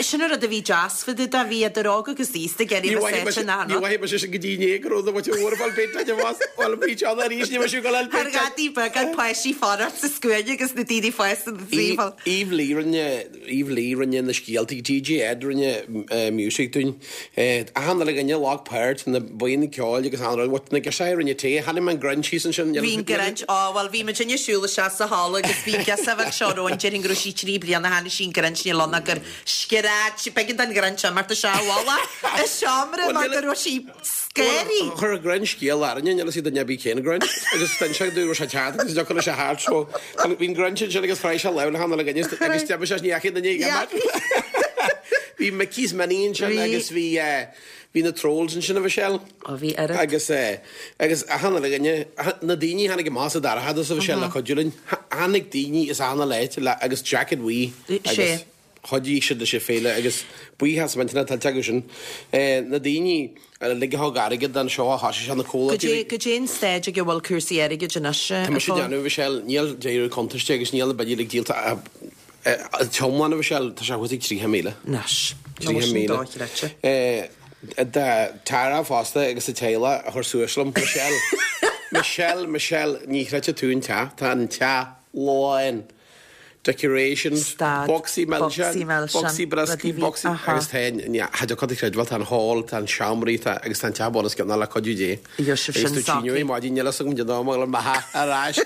sin an rud a bhí deas fá dtaobh de, bhí idir óg agus aosta ag iarraidh a bheith sáite in achan rud. Ní mhaithfidh mise sin go dtí inné go raibh na muintir mhóra ag fáil péinteáilte fós. Bhuel, bhí John arís, ní raibh siad ag dul a fháil péinteáilte. Thar ghadaí beaga, páistí fanacht sa scuaine agus na daoine fásta na taobh. Eve Lee rinne, Eve Lee rinne na scéaltaí, DJ Ed rinne music dúinn. Achan uile dhuine a ghlac páirt, na buíon ceoil agus achan rud, na girseachaí a rinne tae, chonaic mé an Grinch thíos ansin. Bhí an Grinch, á bhuel bhí muid ag siúl isteach sa halla agus bhí girseach bheag seo romhainn, déarfainn go raibh sí 3 bliana, tháinig sí an Grinch, níl ann ach gur scread sí, b'éigean don Ghrinch imeacht isteach i bhfolach i seomra mar go raibh sí scary. Chuir an Grinch scéal orainne, níl a fhios ag duine ar bith cén Grinch, agus d'inis sé dúinn go raibh sé ceart agus deocair leis a thart so bhí an Grinch ansin agus chraith sé lámh le hachan uile dhuine agus d'imigh sé ní fhacaidh duine ag imeacht. Bhí Mickey's Mini ansin agus bhí bhí na Trolls ansin a Mhichelle. Ó bhí oiread. Agus agus achan uile dhuine, na daoine a tháinig amach as an dorchadas a Mhichelle le cuidiú linn, tháinig daoine as achan uile áit le agus jacket bhuí agus chuidigh siad leis an féile agus buíochas millteanach tuillte acu sin. Na daoine uilig a thug airgead don seó a thosaigh sé na comhlachtaí. Goidé an staid ag a bhfuil cúrsaí airgid anois Tá mise ag déanamh a Mhichelle, níl deireadh cuntais de agus níl na billí uilig díolta an t-iomlán a Mhichelle, tá sé thuas ag 30,000. Anois. 30,000. Dochreidte. Do Tara fosta agus a teaghlach a chuir suas liom. Michelle, Michelle, Michelle, ní chreidfidh tú an teach, tá an teach lán. decorations, Stad, bocsaí milseán, bocsaí milseán, bocsaí brioscaí, rudaí bhí, bocsaí, aha. agus tá an, cha dtiocfadh a chreidbheáil, tá an hall, tá an seomraí, tá, agus tá an teach bunoscionn le cuidiú Dé. Gheobhaidh sibh Agus sin tú tine socraithe. maidin, níl fhios agam cén dóigh a bhfuil an mbeatha ar ais.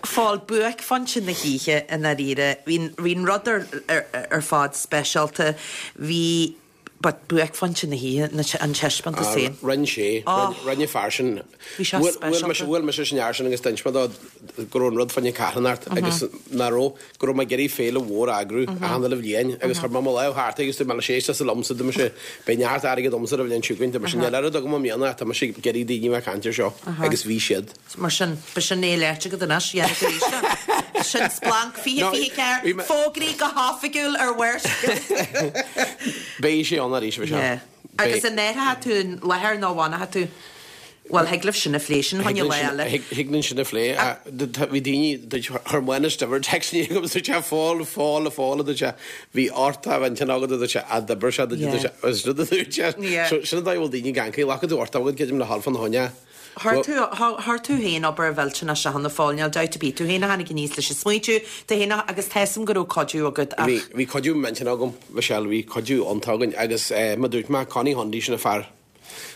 Phóil, buaicphointe na hoíche i ndáiríre, bhí, bhí an rud ar, ar, ar fad speisialta, bhí, But buaicphointe na hoíche, an taispeántas féin. Rinne sé, rinne fear sin. Bhí sé speisialta. Bhuail mise leis an fhear sin agus d'inis mé dó go raibh an rud fá choinne carthanacht agus nach raibh, go raibh mé ag iarraidh féile mhór a eagrú achan uile bhliain agus chuir mé mo lámh thart agus dúirt mé leis éist liomsa, dúirt mise beidh neart airgid agamsa an bhliain seo chugainn, dúirt mise níl oiread agam i mbliana ach tá mise ag iarraidh daoine a bheith ag caint air seo agus bhí siad. Mar sin, b'shin é léite agat anois, dhéanfaidh tú arís é. Sin splanc 2024, fógraí go hoifigiúil ar Bharrscéalta. Beidh sé ann arís, bheidh sé. Yeah. Agus an athróidh tú an láthair nó an bhfanfaidh tú? Bhuel, thig libh sin a phlé, sin fá choinne lá eile. Thig linn sin a phlé. Bhí daoine, chuir Manus Diver text chugainn agus dúirt sé, a Phóil, a Phóil, a Phóil, a dúirt sé, bhí ort a bheith intinn agat, a dúirt sé, a d'oibir sé, a dúirt sé, agus rud a dúirt sé, sin an dóigh a bhfuil daoine ag ancaí, ghlac tú ort agat, creidim, le hAlf an Choinne. Chuir tú, chuir tú féin obair mhillteanach cheana, a Phóil, níl dabht ar bith, tú féin a tháinig aníos leis an smaointiú, tú féin a, agus tá 'fhios a'm go raibh cuidiú agat ach. Bhí, bhí cuidiú millteanach agam, Michelle, bhí cuidiú iontach againn agus mar dúirt mé, Connie Hundy, sin an fear,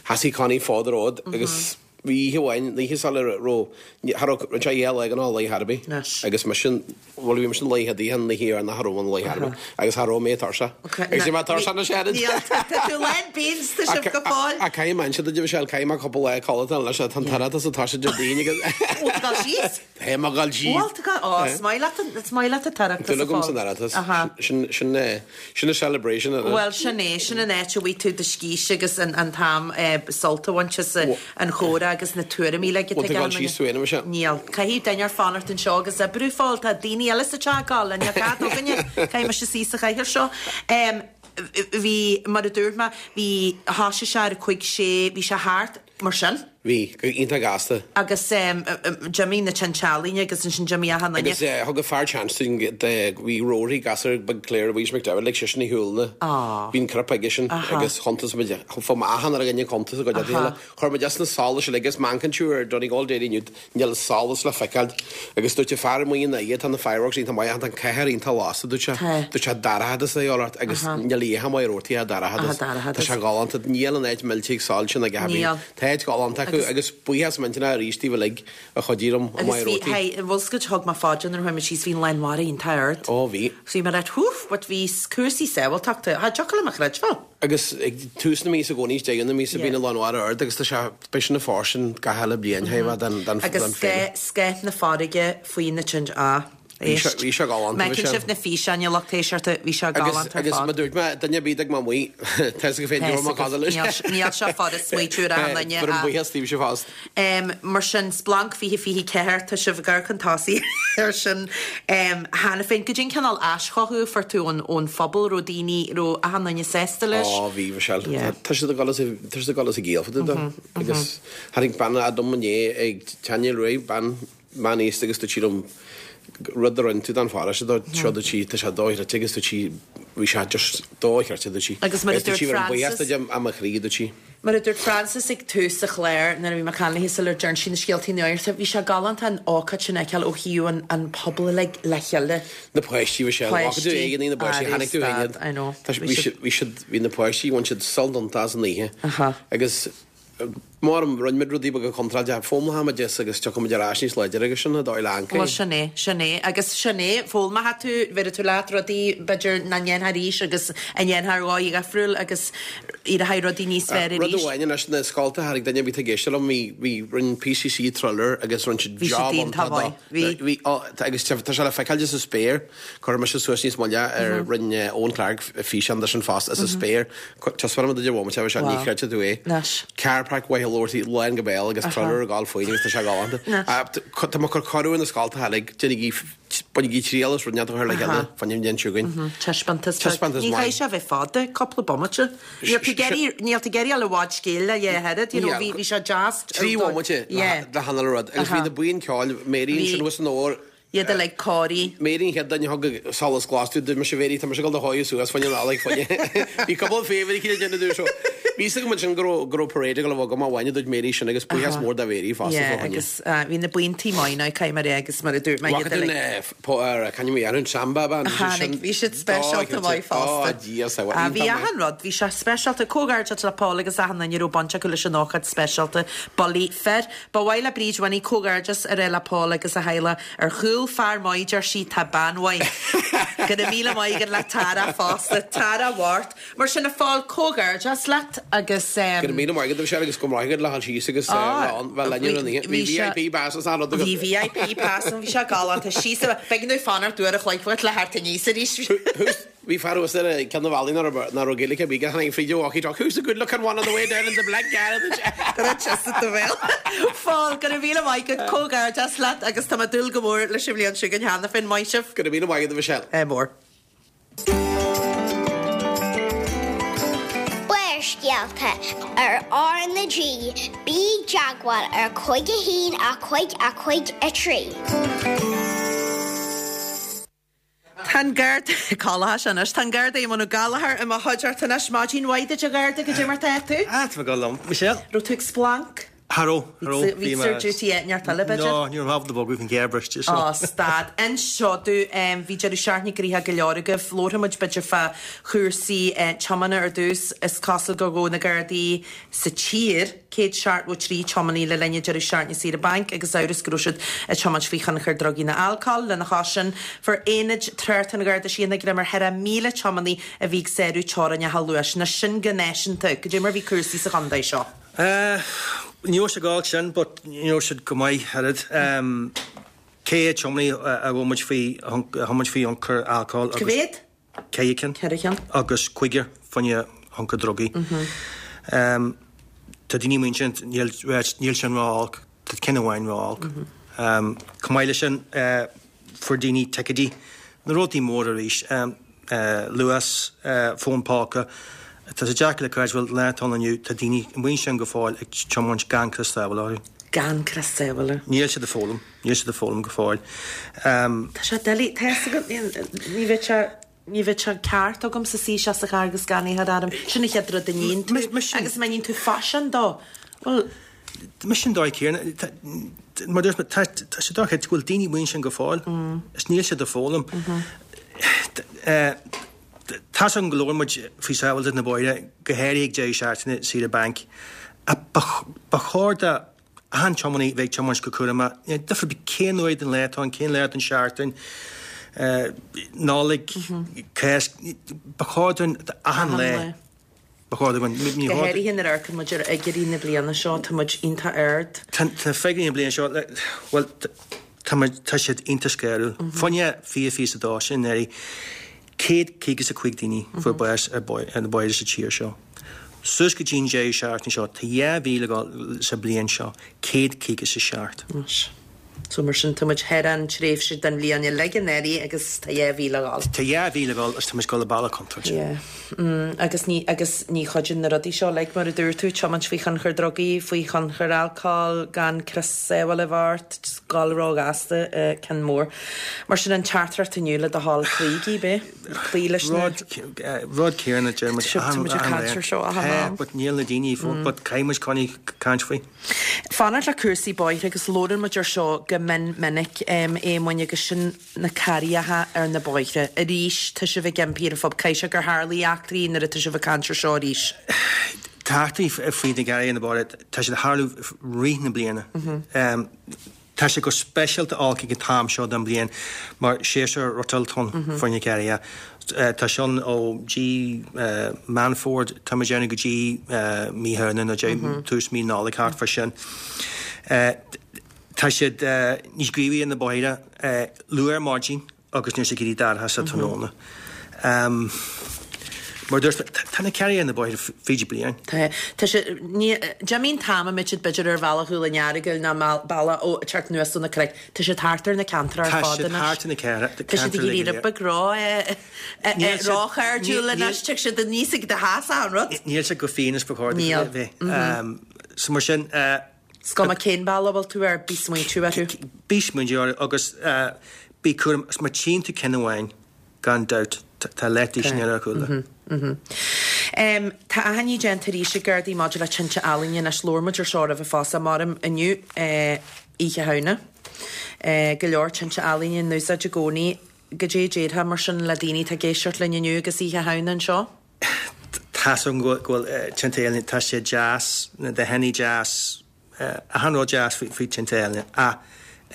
sheasaigh Connie fad an ród agus bhí oíche amháin, an oíche sula raibh, cha raibh, rinne sé dhá lá gan a lá ar bith agus mise, Bhuel, bhí mise an laethe daoithe, an oíche dheireanach cha raibh an laethe ar bith, agus cha raibh mé tuirseach. Agus bhí mé tuirseach na seanad. Níl, tá tú lán beans, tá sibh go fóill. Ach caithfidh mé inse duit, a Mhichelle, caithfidh mé cúpla lá codlata leis, tá an t-oireachtas ag toiseacht Déardaoin agus. Bhfuil tú ag dul síos? Tá mé ag dul síos. Bhfuil tú ag dul, ó, is maith leat an, is maith leat an t-oireachtas Dúil agam san Oireachtas. Sin, sin, sin an celebration. Bhuel, sin é, sin an áit a bhfaighidh tú do scíth agus an t-am sult a bhaint as an chomhrá agus na tuairimí le Bhfuil tú ag dul síos tú féin, a Mhichelle? Níl. Caithfidh duine ar fanacht anseo agus oibriú, a Phóil. Tá daoine eile sa teach ag gabháil, níl cead againne. Caithfidh mise suí sa chathaoir seo. Bhí, mar a dúirt mé, bhí, thosaigh sé ar a cuig sé, bhí sé thart mar sin. Bhí, go iontach gasta. Agus d'imigh na tinte ealaíne agus ansin d'imigh achan duine. Agus thug an fear chance dúinn, bhí Rory, gasúr beag Claire Louise McDevitt, lig seisean a shiúl na, bhí an corp aigesean agus chuntas muid, fuair mé achan uile dhuine cuntas a gcuid eile. Chuir muid as na solais uilig agus má amharcann tú ar Donegal Daily inniu, níl solas le feiceáil. Agus dúirt an fear amuigh ina dhiaidh, tá na fireworks iontach maith ach tá an cathair iontach lasta, dúirt sé. Dúirt sé dorchadas a dhíobháil ort agus níl oíche maith ar ortaithe dorchadas. Tá sé galánta, níl an áit millte ag soilse ná a dhath ar bith. Tá áit galánta. acu agus buíochas millteanach arís daoibh uilig a chuidigh liom i Agus Maigh bhí, Rótaí. hey, an bhfuil 's agat, thug mé fá dear nuair a chuaigh mé síos, bhí an lán mhara iontach ard. Ó, bhí. So bhí mé like, whoof, but bhí cúrsaí sábháilteachta, cha dtiocfadh liom a chreidbheáil. Agus ag tús na míosa i gcónaí, is deireadh na míosa, bíonn an lán mhara ard agus tá sé, beidh sin ag fáistin gach uile bliain, chóir a bheith den, den, Agus den féile. scáth, scáth na farraige faoi na tinte, ah. Bhí sé, Éist. bhí sé galánta, Má bhí fheiceann sé. sibh na físeáin, a lucht éisteachta, bhí sé Agus, galánta ar agus fad. mar dúirt mé, duine ar bith a d'fhág mé amuigh, tá 'fhios agaibh féin, Tá go raibh mé 'fhios agat. cosúil leis. Níl, níl sé furast smaoitiú ar achan duine Bhur ach. mbuíochas daoibhse fosta. Mar sin, Splanc 2024, tá sibh ag gabháil chun tosaigh ar sin cheana féin. Goidé an cineál aischothú a fuair tú ón, ón phobal, raibh daoine, raibh achan duine sásta leis? Ó, bhí, Michelle. Yeah. Tá siad ag dul as a, tá siad ag dul as a gciall fá dtaobh de. Agus tháinig bean dom inné ag Tanya Ray, bean meánaosta agus dúirt sí liom rud a rinne tú don pharóiste dó seo dúirt sí tá sé dochreidte agus dúirt sí bhí sé just dochreidte dúirt sí Agus mar a agus dúirt dúirt sí bhí an buíochas Frances duit as mo chroí dúirt sí. Mar a dúirt Frances ag tús an chláir nuair a bhí mé ag caint léi sular dtearn sí na scéaltaí nuachta bhí sé galánta an ócáid sin a fheiceáil ó thaobh an an pobal uilig le chéile. Na páistí bhí sé Páistí tú éigean na páistí Arú tháinig tú féin stad I know. Tá Bhí bhí siad siad bhí siad bhí na páistí bhain siad sult iontach as an oíche Aha. agus Mar rinne muid rudaí beaga contráilte, foghlaimeoidh muid as agus tiocfaidh muid ar ais níos láidre agus sin an dóigh le Bhuel, sin é, sin é. Agus sin é, foghlaimeoidh tú, bhéarfaidh tú leat rudaí, b'fhéidir, nach ndéanfá arís agus a ndéanfá ar dhóigh dhifriúil agus éireoidh rudaí níos fearr Rud arís. amháin anois, na scoltacha, tháinig duine ar bith ag éisteacht liom, bhí, bhí, rinne PCC trailer agus rinne siad Bhí siad job iontach iontach dó. maith, bhí. Bhí, ó, agus tá sé le feiceáil sa spéir. Cuirfidh mise suas níos moille ar rinne Eoin Clarke físeán de sin fosta as an spéir. Taispeánfaidh mé duit ar bhomaite é seo, ní chreidfidh tú é. Car park Mhaigh Lorty lán go béal agus trailer ag gabháil faoin agus tá sé galánta. Tá mé ag cur cuireadh ar na scoltacha uilig, déanaigí, bainigí triail as rud inteacht a chur le chéile fá choinne an bhliain seo chugainn. Taispeántas beag. Taispeántas Ní maith. chaithfidh sé a bheith fada, cúpla bomaite. Níl tú ag iarraidh, níl tú ag iarraidh a i bhfad scéil le dhá oiread, you know, bhí, bhí sé deas. 3 bhomaite le hAnna le rud agus bhí na buíon ceoil, Mary ansin thuas san ór, Iad uilig cóirithe. Mary an chéad duine a thug solas glas dúinn, dúirt mise Mary, tá mise ag dul do shádh suas fá choinne an eallaigh fá choinne. Bhí cúpla favour aici le déanamh dúinn so. Bhí fhios agam ansin go raibh go raibh parade ag dul a bheith agam amháin a dúirt Mary sin agus buíochas mór do Mhary fosta Yeah, fá choinne. agus bhí na buíontaí maith now, caithfidh mé a rá agus mar a dúirt mé Bhfaca iad tú uilig. na po ar can you an samba band bhí siad Tháinig, sin bhí siad speisialta maith Ó fosta. Dia sábháil, Ah, bhí iontach maith. achan rud, bhí sé speisialta, comhghairdeas le Paul agus achan duine a raibh baint acu leis an ócáid speisialta Bullaí Fir. Ba mhaith le Bríd Winnie comhghairdeas a rá le Paul agus a theaghlach ar chúl fear maith, deir sí, tá bean mhaith. Go raibh míle maith agat le Tara fosta. Tara Mhart. Mar sin, a Phóil, comhghairdeas leat agus. Go raibh míle maith agat, a Mhichelle, agus go raibh maith agat le dhul síos agus bheith linn ar an oíche. Bhí VIP pass is an rud agat. Bhí VIP pass ann, bhí sé galánta. Síos, b'éigean domh fanacht uair a chloig uait le theacht aníos arís. Bhí fear thuas ar ceann de na ballaí nach raibh Gaeilge ar bith aige, tháinig fríd a walkie talkie, Who's the good looking one on the way down in the black car? Go raibh tusa do bhéal. Phóil, go raibh míle maith agat, comhghairdeas leat agus tá mé ag dúil go mór leis an bhliain seo chugainn cheana féin. Maith sibh. Go raibh míle maith agat, a Mhichelle. Ádh mór. Barrscéalta ar R na G, bí i dteagmháil ar 5 1 5 5 3. Tá an Garda, Callachais anois, tá an Garda Éamonn Ó Gallchóir i mo chuideachta anois. Maidin mhaith duit a Gharda, goidé mar tá tú? Ah, tá mé go liom. Michelle? Raibh tú ag splanc? Cha raibh, cha raibh. Bhí tú ar duty áit inteacht eile, b'fhéidir? No, ní raibh mé ábalta bogadh an ghéar briste, so. Á, stad. Inis domh, bhí deireadh seachtaine gnoitheach go leor agaibh. Labharfaidh muid b'fhéidir fá chúrsaí tiomána ar dtús. Is cosúil gur ghabh na Gardaí sa tír, 173 tiománaí le linn an deireadh seachtaine saoire bainc agus amhras go raibh siad ag tiomáint faoi thionchar drugaí nó alcóil. Lena chois sin, fuair aonaid tráchta an Gharda Síochána greim ar 4,000 tiománaí a bhí ag sárú teorainneacha luais. Anois sin go náisiúnta. Goidé mar bhí cúrsaí sa chontae seo? Ní raibh sé go holc sin but ní raibh siad go maith oiread. 400 tiománaí a bhfuil muid faoi, a thiomáint faoi thionchar alcóil agus. Cá mhéad? 4 cinn. 4 cheann. Agus cúigear fá choinne thionchar drugaí. Tá daoine amuigh ansin, níl, níl sin ró-olc, tá ceann amháin ró-olc. Chomh maith leis sin, fuair daoine ticéidí, na rudaí móra arís, luas, fón póca, tá sé deacair le creidbheáil, lá atá ann inniu, tá daoine amuigh ansin go fóill ag tiomáint gan crios sábhála orthu. Gan crios sábhála. Níl siad ag foghlaim. Níl siad ag foghlaim go fóill. Tá sé doiligh, tá fhios agat, ní bheadh sé, ní bheadh sé ceart agamsa suí isteach sa charr agus gan é a chur orm. Sin an chéad rud a níonn tú agus má níonn tú faisean dó, bhuel. Mise an dóigh céanna, mar dúirt mé, tá sé dochreidte go bhfuil daoine amuigh ansin go fóill is níl siad ag foghlaim. Tá's agam go labhrann muid faoi sábháilteacht na bóithre, go háirithe ag deireadh seachtaine, saoire bainc. Ba chóir do achan tiománaí bheith ag tiomáint go cúramach, níl difear ar bith cén uair den lá atá ann, cén lá den seachtain, Nollaig, Cásc, ba chóir dúinn achan lá, ba chóir dúinn, ní Go háirithe nuair a amharcann muid ar fhigiúirí na bliana seo, tá muid iontach ard. Tá na figiúirí na bliana seo, bhuel, tá muid, tá siad iontach scanrúil. Fá choinne 2022 sin anuraidh, 155 daoine fuair bás ar na bóithre sa tír seo. Suas go dtí an deireadh seachtaine seo, tá 2 mhí le dul sa bhliain seo, 157. Anois. So mar sin, tá muid thar an tréimhse den bhliain uilig anuraidh agus tá 2 mhí le dhul. Tá 2 mhí le dhul agus tá muid ag dul i bealach contúirteach. Yeah. Mm, agus ní, agus ní chuidíonn na rudaí seo uilig, mar a dúirt tú, tiomáint faoi thionchar drugaí, faoi thionchar alcóil, gan crios sábhála a bheith ort, just dul róghasta, eh, ceann mór. Mar sin an teachtaireacht inniu le do thoil, cloígí, b'é? Cloí leis na. Rud, rud céanna deir muid achan, Tá muid ag caint ar seo achan am. But níl na daoine fós, but caithfidh muid coinní caint faoi. Fanacht le cúrsaí bóithre agus labhrann muid ar seo go mion minic, Éamoinn, agus sin na carraigheacha ar na bóithre. Arís, tá sibh ag impí ar an phobal. Caithfidh sé gur tharlaigh eachtraí nuair atá sibh ag caint ar seo arís. Tá eachtraí faoi na garraithe ar na bóithre, tá siad ag tarlú rith na bliana. Tá sé go speisialta olc ag an t-am seo den bhliain mar séasúr rothail atá ann fá choinne carraighe. Tá sé ann ó dtí Meán Fómhair, tá muid ag déanamh go dtí mí Shamhna nó tús mí Nollag thart fá sin. Tá siad níos gníomhaí ar na bóithre luath ar maidin. agus nuair atá sé ag éirí dorcha sa tráthnóna. Mar a dúirt mé, tá na carraighe ar na bóithre fríd an bliain. Tá. Tá sé, ní, d'imigh an t-am a mbeadh siad b'fhéidir ar bhealach Dhún an Earagail ná bealach ó, teacht anuas ó na cnoic. Tá siad thart ar na ceantair ar Tá fad siad anois. thart ar na ceantair Tá siad ag éirí uilig. rud beag ró, eh, eh, Níl siad, róchairdiúil níl, anois, tig siad aníos ag do theas achan rud. níl siad chomh fiáin is ba chóir Níl. dóibh a bheith. So mar sin, eh, Is cuma cén bealach a bhfuil tú air, bí smaointiú orthu. Bí smaointiú orthu agus bí cúramach. Is má tchíonn tú ceann amháin, gan dabht, tá leath-duisín eile ar chúl. Tá achainí déanta arís ag Gardaí maidir le tinte ealaíne anois. Labhair muid ar seo roimhe fosta, maram inniu, Oíche Shamhna. Go leor tinte ealaíne in úsáid i gcónaí. Goidé a déarfá mar sin le daoine atá ag éisteacht linn inniu agus Oíche Shamhna anseo? Tá's agam go bhfuil tinte ealaíne, tá sé deas, na dathannaí deas, achan rud deas faoi tinte ealaíne ach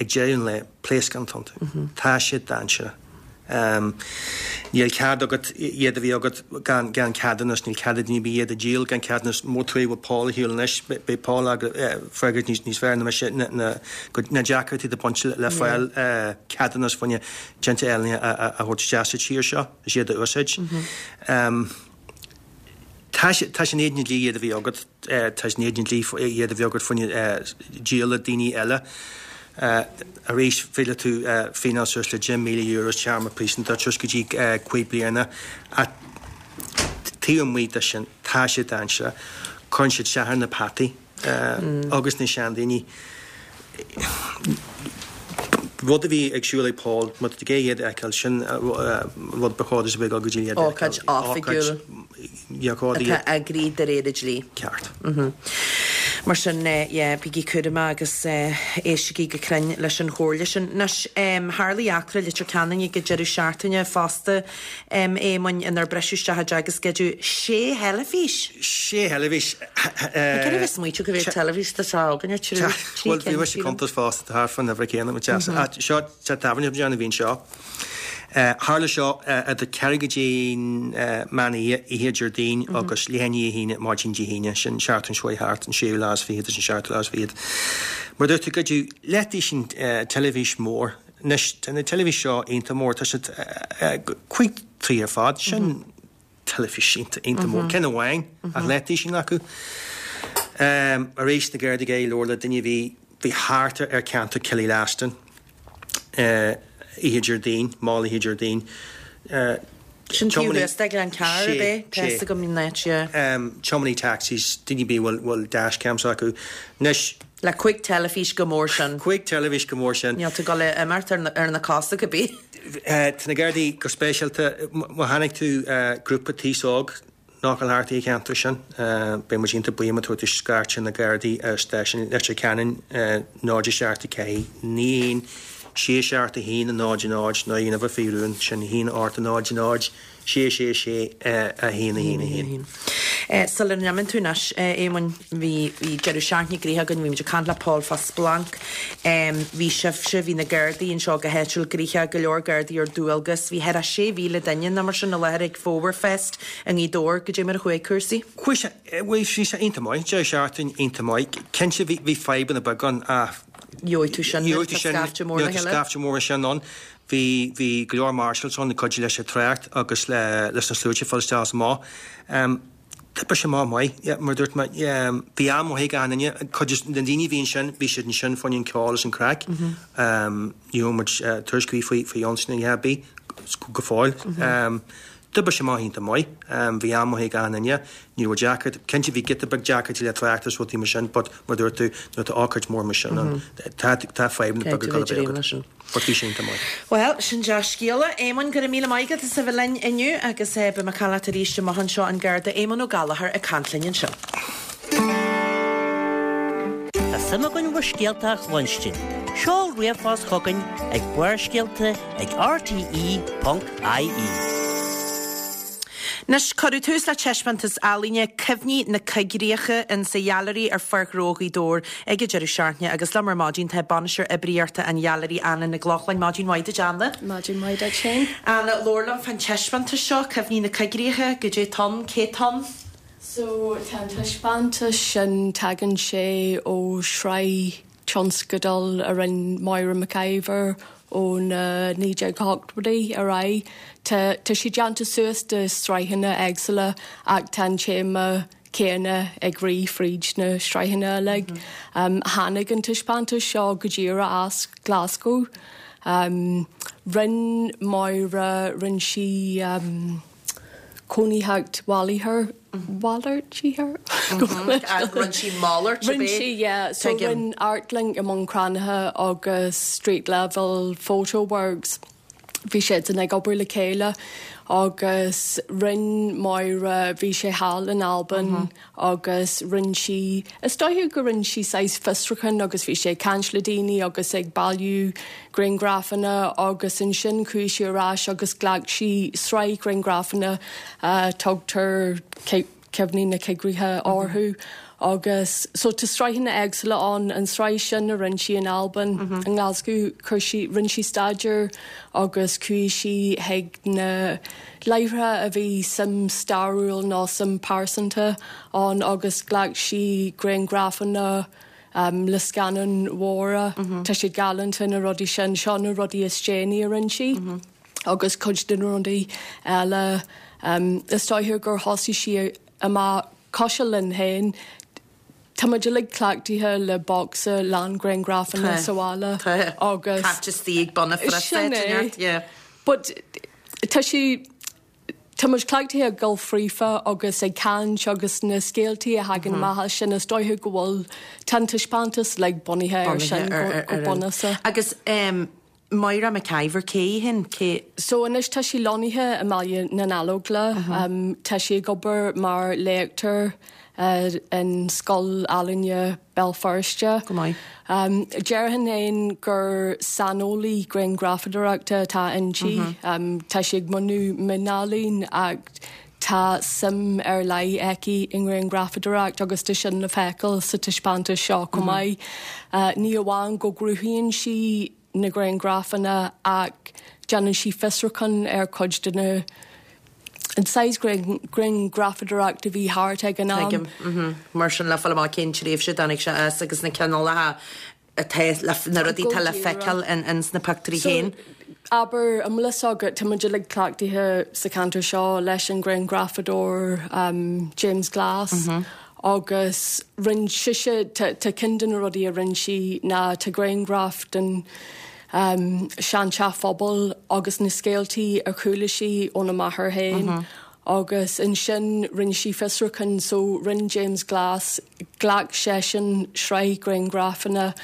ag deireadh an lae, pléascán atá iontu. Tá siad dainséarach. Níl cead agat iad a bheith agat gan gan ceadúnas, níl cead ag duine ar bith iad a dhíol gan ceadúnas. Má tá tú bhfuil Paul ar shiúl anois, beidh Paul ag freagairt níos níos fearr ná mise na na na deacrachtaí atá ag baint le fáil ceadúnas fá choinne tinte ealaíne a thabhairt isteach sa tír seo. is iad a úsáid. Tá sé tá sé in éadan an dlí iad a bheith agat, tá sé in éadan an dlí iad a bheith agat fá choinne díol le daoine eile. Arís, féadfaidh tú fíneáil suas le €10,000 is téarma príosúnachta suas go dtí 5 bliana. Ach taobh amuigh de sin, tá sé dainséarach. Cuireann siad isteach ar na peataí. agus na seandaoine. Rud a bhí ag siúl ag Paul, má tá tú ag iarraidh iad a fheiceáil, sin rud ba chóir duit a bheith ag dul go dtí iad a fheiceáil. Ócáid oifigiúil atá eagraithe de réir an dlí. Ceart. Mar sin, yeah, bígí cúramach agus éistigí go cruinn leis an chomhairle sin. Anois, tharlaigh eachtra i Leitir Ceanainn ag an deireadh seachtaine fosta. Éamoinn, inar briseadh isteach i dteach agus goideadh sé theilifís! Sé theilifís! Cé raibh ag smaoitiú go bhfuil teilifís tá sé againne, trí Bhuel, cinn, bhí mise sílim. cuntas fosta, tá thart fán uimhir chéanna, mo deas. Ach seo, teach tábhairne a bhí anseo. Tharla seo idir ceathrú go dtí meán oíche, oíche Déardaoin agus leath i ndiaidh a haon maidin Dé hAoine, sin seachtain seo chuaigh thart, an séú lá is fichead is an seachtú lá is fichead. Mar a dúirt tú, goideadh leath-duisín teilifís mór. Anois, tá na teilifís seo iontach mór, tá siad 5 troigh ar fad, sin teilifís iontach, iontach mór. Ceann amháin ach leath-duisín acu. Arís, na Gardaí ag iarraidh labhairt le duine a bhí, bhí thart ar cheantar Killylaston oíche Déardaoin, mall oíche Déardaoin. Sin taobh thuas de Ghleann Cearr, ab é? Tá fhios agam an áit, yeah. Tiománaí taxis, daoine ar bith a bhfuil dash cams acu. Anois. Le 5 teilifís chomh mór sin. 5 teilifís chomh mór sin. Níl tú ag dul a imeacht ar na cosa cibé. Tá na Gardaí go speisialta, má chonaic tú grúpa d'aos óg nach bhfuil thart ar an cheantar sin, beidh muid iontach buíoch má tabharfaidh tú scairt ar na Gardaí ar stáisiún Leitir Ceanainn 0 7 4 9 1 6 7 1 0 0 nó an uimhir faoi rún, sin 1 8 0 0 6 6 6 1 1 1. Sula n-imíonn tú anois, a Éamoinn, bhí, bhí deireadh seachtaine gnoitheach againn, bhí muid ag caint le Paul fá Splanc, bhí sibhse, bhí na Gardaí anseo go háitiúil gnoitheach, go leor Gardaí ar dualgas, bhí thart ar 6,000 duine nó mar sin i láthair ag Fómhar Fest i nGaoth Dobhair, goidé mar a chuaigh cúrsaí? Chuaigh sé, bhuel bhí sé iontach maith, deireadh seachtaine iontach maith. Cinnte bhí, bhí fadhbanna beaga ann ach. Gheobhaidh tú sin nuair atá scaifte mór le chéile. Scaifte mór sin ann. Bhí, bhí go leor marshals ann ag cuidiú leis an trácht agus le, leis na sluaite fáil isteach is amach. D'oibrigh sé amach maith, yeah, mar a dúirt mé, bhí am maith ag achan duine. Cuid de na daoine a bhí ansin, bhí siad ansin fá choinne an ceol is an craic. Ní raibh muid tuairisc ar bith faoi, faoi ionsaí nó a dhath ar bith go fóill. D'oibrigh sé amach iontach maith. Bhí am maith ag achan duine. Ní raibh deacracht, cinnte bhí giota beag deacrachtaí le trácht is rudaí mar sin but mar a dúirt tú, nuair atá ócáid mór mar sin ann, tá, tá fadhbanna beaga ag dul a bheith agat. But bhí sé iontach maith. Bhuel, sin dea-scéala. Éamonn, go raibh míle maith agat as a bheith linn inniu agus beidh mé ag caint leat arís amach anseo. An Garda Éamonn Ó Gallchóir ag caint linn ansin. Tá suim againn bhur scéalta a chluinstin. Seol ríomhphost chugainn ag Barrscéalta ag rte.ie. Anois, cuireadh tús le taispeántas ealaíne 'Cuimhní na Coigríche' in sa Ghailearaí ar Pháirc Ghnó Ghaoth Dobhair ag an deireadh seachtaine agus liom ar maidin tá Bainisteoir Oibríochta an Ghailearaí, Anna Nic Lochlainn. Maidin mhaith duit, Anna. Maidin mhaith duit féin. Anna, labhair liom fán taispeántas seo, Cuimhní na Coigríche, goidé tá ann, cé tá ann? So, tá an taispeántas sin, tagann sé ó shraith tionscadal a rinne Moira McIver ó na 1980idí ar aghaidh. Tá tá sé déanta suas de sraitheanna éagsúla ach tá an téama céanna ag rith fríd na sraitheanna uilig. Tháinig an taispeántas seo go díreach as Glasgow. Rinne Moira, rinne sí. cónaitheacht mhalartha, mhalartaithe? Rinne sí malairt, ab Rinne sí, yeah. So rinne Artlink i mBun Cranncha agus Street Level Photo Works, bhí siadsan ag obair le chéile agus rinne Moira, bhí sé thall in Albain agus rinne sí, is dóiche go rinne sí saghas fiosrúchán agus bhí sí ag caint le daoine agus ag bailiú grianghrafanna agus ansin chuaigh sí ar ais agus ghlac sí sraith grianghrafanna a tugtar Cuimhní na Coigríche orthu agus so tá sraitheanna éagsúla ann, an tsraith sin a rinne sí in Albain, i nGlasgow, chuir sí, rinne sí staidéar agus chuaigh sí chuig na. láithreacha a bhí suim stairiúil nó suim pearsanta ann agus ghlac sí grianghrafanna le scannáin mhóra. Tá siad galánta na rudaí sin. Seo na rudaí is déanaí a rinne sí agus cuid de na rudaí eile. Is dóiche gur thosaigh sí amach cosúil linn féin. Tá muid uilig cleachtaithe le bocsa lán grianghrafanna sa bhaile agus. Caite istigh ag bun an phriosa. Sin é. But tá sé, tá muid cleachtaithe ag dul fríofa agus ag caint agus na scéaltaí a thagann amach as sin, is dóiche go bhfuil, tá an taispeántas like bunaithe ar sin go bunúsach. Agus Moira McIver, cé í féin? Cé. So anois tá sí lonnaithe i mBaile na nGallóglach. Tá sí ag obair mar léachtóir in Scoil Ealaíne Béal Feirste. Go maith. Déarfainn féin gur saineolaí grianghrafadóireachta atá inti. Tá sí ag múineadh mionealaín ach tá suim ar leith aici i ngrianghrafadóireacht agus tá sin le feiceáil sa taispeántas seo chomh maith. Ní amháin go gcruthaíonn sí na grianghrafanna ach déanann sí fiosrúchán ar chuid de na an saghas grianghrafadóireacht a bhí thart ag an am. Tuigim. Mar sin le fáil amach cén tréimhse a dtáinig sé as agus na cineálacha atá le, na rudaí atá le feiceáil in sna pictiúirí féin. So, abair, an bhfuil fhios agat, tá muid uilig cleachtaithe sa cheantar seo leis an ghrianghrafadóir James Glass agus rinne sise, tá ceann de na rudaí a rinne sí ná tá grianghraf den seanteach phobail agus na scéaltaí a chuala sí óna máthair féin agus ansin rinne sí fiosrúchán so rinne James Glass, ghlac seisean sraith grianghrafanna,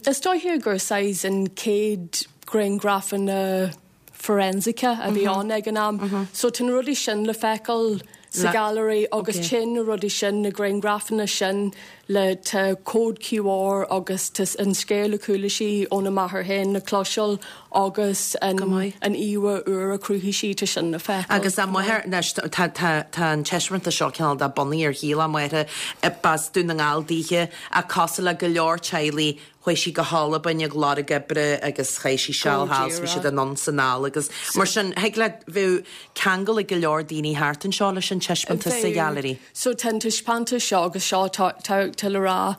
is dóiche gur saghas an chéad ghrianghrafanna forensice a bhí ann ag an am. So tá na rudaí sin le feiceáil sa ghailearaí agus téann na rudaí sin, na grianghrafanna sin. Le tá cód QR agus tá an scéal a chuala sí óna máthair féin le cloisteáil agus an an íomhá úr a chruthaigh sí, tá sin le feiceáil. Agus a máthair, anois tá tá tá an taispeántas seo cineál de bunaithe ar shaol a máthar, b'as Dún na nGall daoithe ach cosúil le go leor teaghlaigh chuaigh sí go hAlbain ag lorg oibre agus chaith sí seal thall 's bhí siad anonn 's anall agus mar sin thig leat bheadh ceangal ag go leor daoine thart anseo leis an taispeántas sa ghailearaí. So tá an taispeántas seo agus seo tá le rá,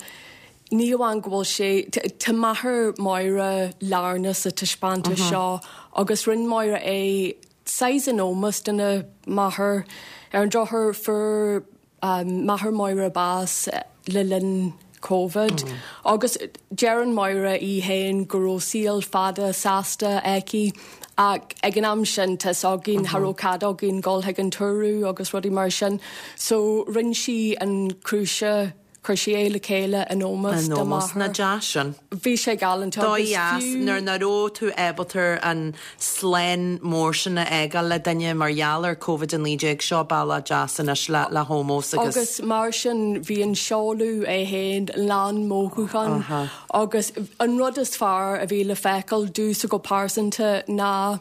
ní amháin go bhfuil sé, tá máthair Máire lárnach sa taispeántas seo agus rinne Máire é saghas in ómós dona máthair. Ar an drochuair fuair máthair Máire bás le linn Covid agus deireann Máire í féin go raibh saol fada sásta aici ach ag an am sin tá's againn cha raibh cead againn dul chuig an tórramh agus rudaí mar sin so rinne sí an crúise chuir sí é le chéile in ómós dá máthair. Nach deas sin. Bhí sé galánta agus fiú. Nuair nach raibh tú ábalta an slán mór sin a fhágáil le duine mar gheall ar Covid-19 seo bealach deas anois le le hómós agus. Agus mar sin bhí an seoladh é féin lán mothúchán agus an rud is fearr a bhí le feiceáil domhsa go pearsanta ná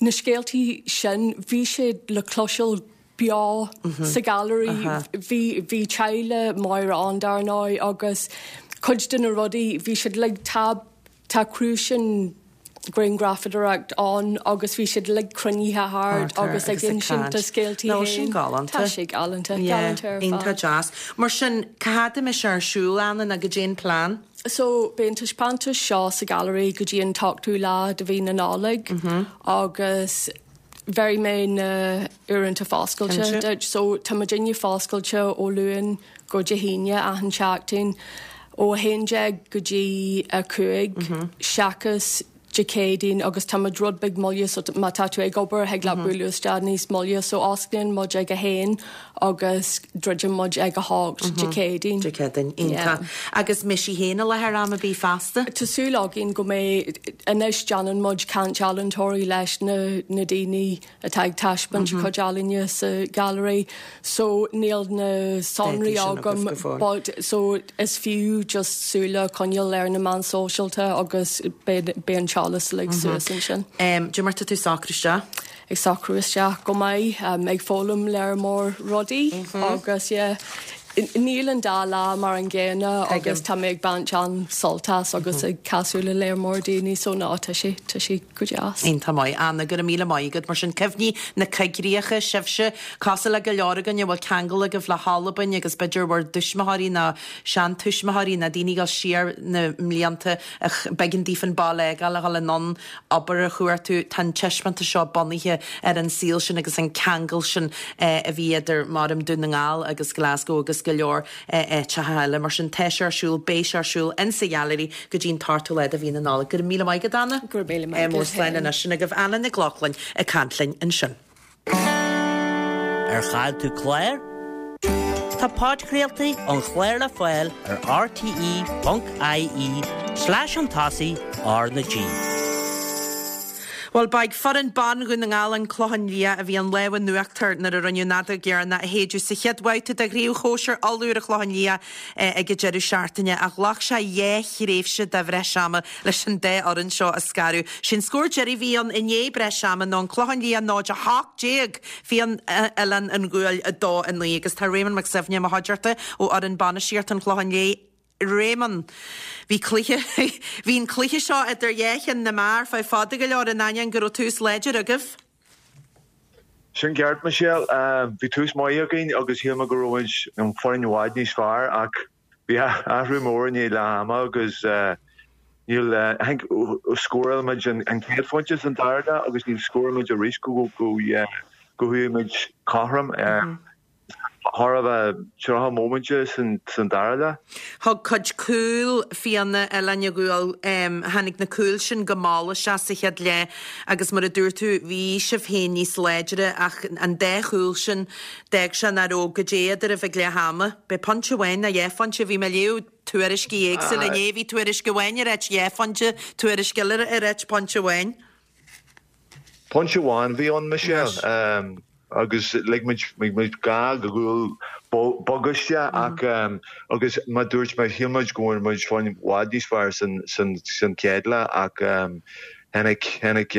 na scéaltaí sin, bhí siad le cloisteáil beo sa ghailearaí. Bhí bhí teaghlach Máire ann dar ndóigh agus cuid de na rudaí bhí siad like tá tá crúisín grianghrafadóireacht ann agus bhí siad uilig cruinnithe thart agus ag insint a scéaltaí féin. Sin galánta. Tá sé galánta, galánta ar fad. Iontach deas. Mar sin, cá fhad a mbeidh sé ar siúl, Anna, nó goidé an plean? So, beidh an taispeántas seo sa ghailearaí go dtí an t-ochtú lá de mhí na Nollag agus bhéarfaidh mé na uaireanta foscailte duit. So, tá muidinne foscailte ó Luan go Dé hAoine achan tseachtain ó 11 go dtí 5 seachas Dé Céadaoin agus tá muid rud beag moille so má tá tú ag obair thig leat bualadh isteach níos moille so osclaíonn muid ag a haon agus druideann muid ag a hocht Dé Céadaoin. Dé Céadaoin, iontach. Agus mbeidh sí féin i láthair am ar bith feasta? Tá súil againn go mbeidh, anois déanann muid caint ealaíontóirí leis na na daoine atá ag taispeáint a cuid ealaíne sa ghailearaí so níl na sonraí agam but so is fiú just súil a choinneáil ar na meáin sóisialta agus beidh an t-eolas uilig suas ansin. Cad é mar tá tú ag socrú isteach? Ag socrú isteach go maith, ag foghlaim lear mór rudaí agus yeah níl an dá lá mar an gcéanna agus tá mé ag baint an-sult as agus ag casadh le lear mór daoine so no tá sé tá sé go deas. Iontach maith. Anna, go raibh míle maith agat. Mar sin, cuimhní na coigríche, sibhse, cosúil le go leor againn a bhfuil ceangal agaibh le hAlbain agus b'fhéidir bhur dtuismitheoirí nó seantuismitheoirí nó daoine ag dul siar na mblianta ach b'éigean daofa an baile a fhágáil a dhul anonn obair a chuartú. Tá an taispeántas seo bunaithe ar an saol sin agus an ceangal sin a bhí idir, maram, Dún na nGall agus Glasgow agus go leor áiteacha eile. Mar sin, tá sé ar siúl, beidh sé ar siúl insa Ghailearaí go dtí an t-ochtú lá de mhí na Nollag. Go raibh míle maith agat, Anna. Go raibh míle maith agat. Slán anois. Sin agaibh Anna Nic Lochlainn ag caint linn ansin. Ar chaill tú clár? Tá podchraoltaí an chláir le fáil ar rte.ie slash chun tosaigh R na G. Bhuel, ba ag foireann ban Dhún na nGall, An Clochán Liath, a bhí an lámh in uachtar nuair a rinneadh an fheadóg dheireanach a shéideadh sa chéad bhabhta de Chraobh Shóisir Uladh ar an Chlochán Liath ag an deireadh seachtaine ach ghlac sé dhá thréimhse de bhreis ama leis an dá fhoireann seo a scaradh. Sé'n scór deiridh a bhí ann i ndiaidh breis ama ná An Clochán Liath 0-18, Fianna Oileán an Ghuail 2-9 agus tá Réamonn Mac Suibhne i mo chuideachta ó fhoireann bainistíochta an Chlocháin Léith. Réamonn, Bhí cluiche, bhí an cluiche seo idir dhá cheann na meá ar feadh fada go leor in ainneoin go raibh tús láidir agaibh. Sin ceart, Michelle. Bhí tús maith againn agus shíl mé go raibh muid an foireann i bhfad níos fearr ach bhí athrú mór i ndiaidh leath ama agus níl, I think scóráil muid an chéad phointe san dara leath agus níor scóráil muid arís go go chuaigh muid cothrom. Thar a bheith 30 móiminte san dara leath. Thug cuid cúl Fianna Oileán an Ghuail, tháinig na cúil sin go mall isteach sa chéad leath agus mar a dúirt tú, bhí sibh féin níos láidre ach an dá chúl sin, d'fhág sé nach raibh goidé eadraibh ag leath ama. B'é pointe amháin nó dhá phointe, bhí mé ag léamh tuairiscí éagsúla inné, bhí tuairisc amháin ag ráit dhá phointe, tuairisc eile ag ráit pointe amháin. Pointe amháin a bhí ann, Michelle. agus lig muid lig muid gá gcúl bog isteach ach agus mar dúirt mé shíl muid go bhfuair muid foireann i bhfad níos fearr san san san chéad leath ach tháinig tháinig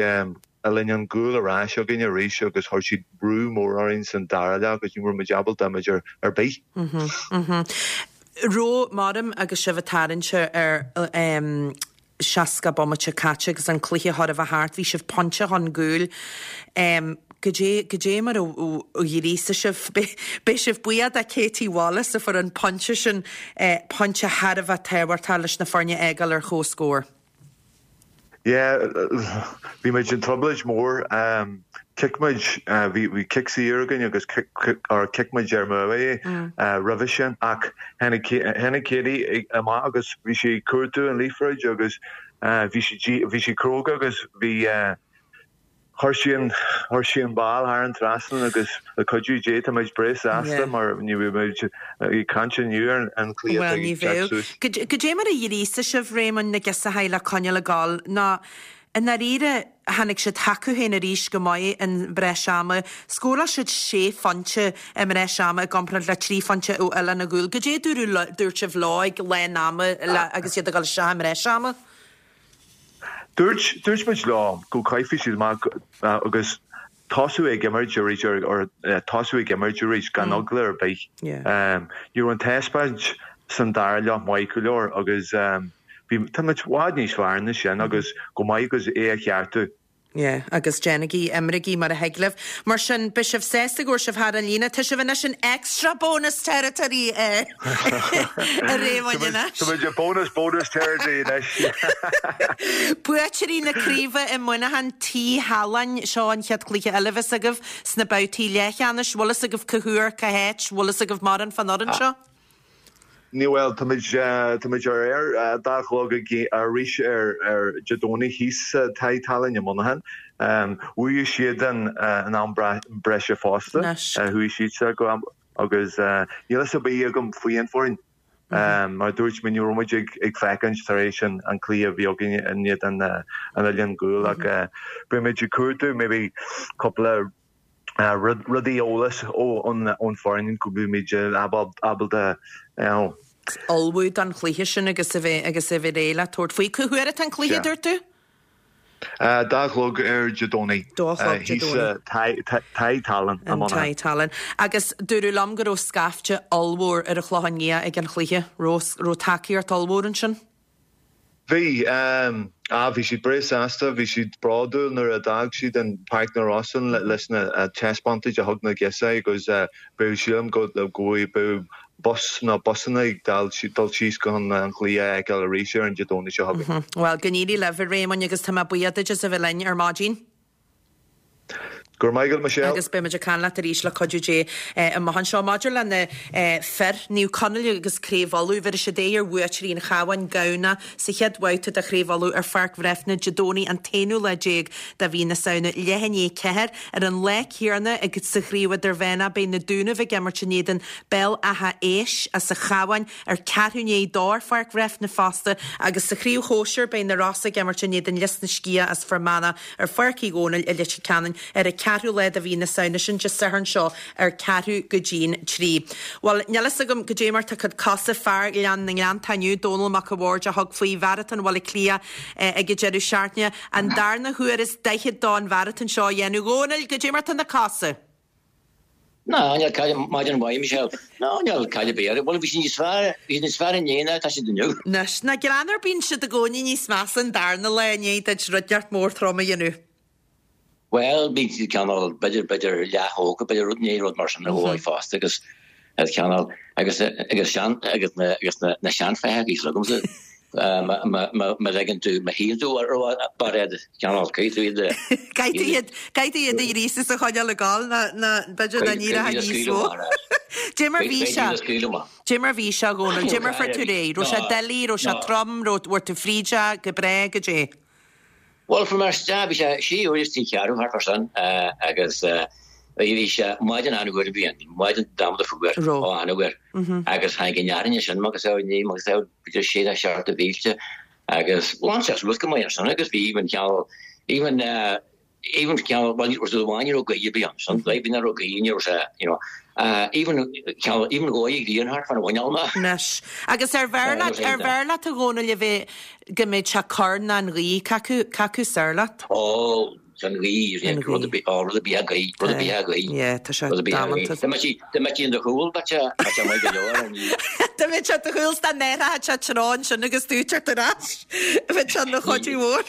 Oileán an Ghuail ar ais againn arís agus chuir siad brú mór orainn san dara leath agus ní raibh muid ábalta imirt ar ar bith. Raibh maram agus sibh ag tarraingt ar 60 bomaite caite agus an cluiche chóir a bheith thart, bhí sibh pointe chun gcúil. Goidé, goidé mar a ghríosaigh sibh? Beidh sibh buíoch de Katie Wallace a fuair an pointe sin, pointe thar a bheith tábhachtach leis na foirne a fhágáil ar comhscór. Yeah, bhí muid in trioblóid mór. Chic muid, bhí cic saor againn agus or chic muid ar mó é roimhe sin ach tháinig tháinig Katie amach agus bhí sí ag cuartú an liathróid agus bhí sí bhí sí cróga agus bhí Chuir sí an, chuir sí an ball thar an trasnán agus le cuidiú Dé tá muid breá sásta mar ní bheadh muid ag caint inniu ar an chluiche atá ag teacht suas. Goidé mar a ghríosaigh sibh, Réamonn, na girseachaí le coinneáil ag gabháil nó i ndáiríre tháinig siad chucu féin arís go maith i mbreis ama. Scóráil siad sé phointe i mbreis ama i gcomparáid le trí phointe ó Oileán an Ghuail. Goidé a dúirt sibh leo ag lán ama agus iad ag dul isteach i mbreis ama? Dúirt, dúirt muid leo go gcaithfidh siad amach agus tosú ag imirt arís or tosú ag imirt arís gan eagla ar bith. Ní raibh an taispeáint san dara leath maith go leor agus bhí, tá muid i bhfad níos fearr ná sin agus go maith agus é a cheartú. Yeah, agus déanaigí, imrígí mar a thig libh. Mar sin, beidh sibh sásta go bhfuair sibh thar an líne. Tá sibh anois in extra bonus territory, a Réamoinn anois. Tá muid i bonus bonus territory anois. Buaiteoirí na craoibhe i Muineachán, Tigh Thaláin. Seo an chéad chluiche eile a bheas agaibh sna babhtaí leathcheannais. Bhfuil fhios agaibh cá huair, cá háit, bhfuil fhios agaibh mórán fán fhoireann seo? Ní bhfuil, tá muid, tá muid ar aer dá chlog arís ar, ar Dé Domhnaigh thíos sa Tigh Thaláin i Muineachán. Bhuaigh siad an, an am breise fosta. Chuaigh siadsan go am, agus níl fhios ar bith agam faoi an foireann. Mar a dúirt mé, ní raibh muid ag, ag féachaint tar éis an, an cluiche a bhí againn in éadan an Oileán Ghuail ach beidh muid ag cuartú maybe cúpla rudaí eolas ón foireann go mbeimid ábalta you know. ullmhú don chluiche sin agus a bheith agus a bheith réidh le tabhairt faoi. Cá huair atá an cluiche, a dúirt tú? Dá chlog ar Dé Domhnaigh. Dá chlog Dé Domhnaigh. Thíos sa Tigh Thaláin i Muineachán. An Tigh Thaláin. Agus dúradh liom go raibh scaifte ollmhór ar an Chlochán Liath ag an chluiche. Raibh raibh tacaíocht ollmhór ansin? Bhí. Ah, bhí siad breá sásta, bhí siad bródúil nuair a d'fhág siad an Páirc na Rosann leis na taispeántais a thug na girseachaí agus beidh, sílim go bhfuil bus nó busanna ag dul síos chun an chluiche a fheiceáil arís ar an Dé Domhnaigh seo chugainn. Bhuel, go n-éirí libh, a Réamoinn, agus tá mé buíoch duit as a bheith linn ar maidin. Go raibh maith agat, Michelle. Agus beidh muid ag caint leat arís le cuidiú Dé amach anseo. Maidir le na fir, Naomh Conaill agus Craobh Uladh, bhéarfaidh siad aghaidh ar bhuaiteoirí an Chabháin, Gabhna, sa chéad bhabhta de Chraobh Uladh ar Pháirc Bhreifne Dé Domhnaigh an t-aonú lá déag de mhí na Samhna, leath i ndiaidh 4. Ar an lá céanna agus sa Chraobh Idirmheánach beidh na Dúnaibh ag imirt in éadan Béal Átha Éis as an Chabhán ar ceathrú i ndiaidh 2 ar Pháirc Bhreifne fosta agus sa Chraobh Shóisir beidh na Rosa ag imirt in éadan Lios na Sciath as Fear Manach ar Pháirc Uí Dhónaill i Leitir Ceanainn ar an ceathrú lá de mhí na Samhna, sin Dé Sathairn seo ar ceathrú go dtí'n trí. Bhuel, níl fhios agam goidé mar tá cuid cosa fear Ghleann na nGleanntach inniu, Dónal Mac a' Bhaird a thug faoi Mharatón Bhaile Átha Cliath ag an deireadh seachtaine, an darna huair is daichead dó an mharatón seo a dhéanamh. Dhónaill, goidé mar tá na cosa? Ná, níl caill, maidin mhaith, Michelle. Ná, níl caill ar bith orthu. Bhuel, bhí siad níos fearr, bhí siad níos fearr inné ná atá siad inniu. Anois, nach greannmhar, bíonn siad i gcónaí níos measa an darna lá i ndiaidh duit rud inteacht mór trom a dhéanamh. Bhuel, bíonn siad cineál, b'fhéidir, b'fhéidir leath-thógtha, b'fhéidir rud, ní rud mar sin a bhuaigh fosta agus cineál, agus, agus sean, agus na, agus na, na seanfheithiclí agamsa. Má ligeann tú, má shuíonn tú ar iad, cineál, caithfidh tú iad a. Caithfidh tú iad, caithfidh tú iad a ghríosadh is a choinneáil ag gabháil ná, ná, b'fhéidir nach n-éireoidh níos mó. Dé mar bhí sé, dé mar bhí sé, a Dhónaill, dé mar fuair tú réidh, raibh sé doiligh, raibh sé trom, raibh, bhfuair tú fríd é go breá, goidé? Bhuel, fuair mé isteach, bhí sé sé uair is trí cheathrú thart fá sin agus bhí sé maidin an-fhuar a bhí ann, maidin damned fuar, ó an-fhuar. Agus tháinig an fhearthainn ansin agus é ní agus é b'fhéidir sé nó seacht de mhílte agus ghlan sé suas go maith ansin agus bhí even ceann, even. even ceann, bhuel, ní raibh ní raibh gaoth ar bith ann, san bhí ní raibh gaoth, ní raibh sé, you know, even ceann, even dhóigh ag rian thart fan a mhuineál mé. Anois. Agus ar bhfearr leat, ar bhfearr leat a Dhónaill a bheith, go mbeadh sé corr ná an ghaoth, cé acu, cé acu is fearr leat? Ó, an ghaoth, An rud ar ghaoth. bith, ó, rud ar bith a ghaoth, rud ar bith a ghaoth. Yeah, tá sé Rud ar bith a ghaoth. damanta. Dá mbeadh sí, dá mbeadh sí in do chúl, bheadh sé, bheadh sé maith go leor, an ghaoth. Dá mbeadh sé i do chúl 's dá n-athródh sé treo ansin agus tú ag teacht ar ais, bheadh sé ina chuidiú mhór.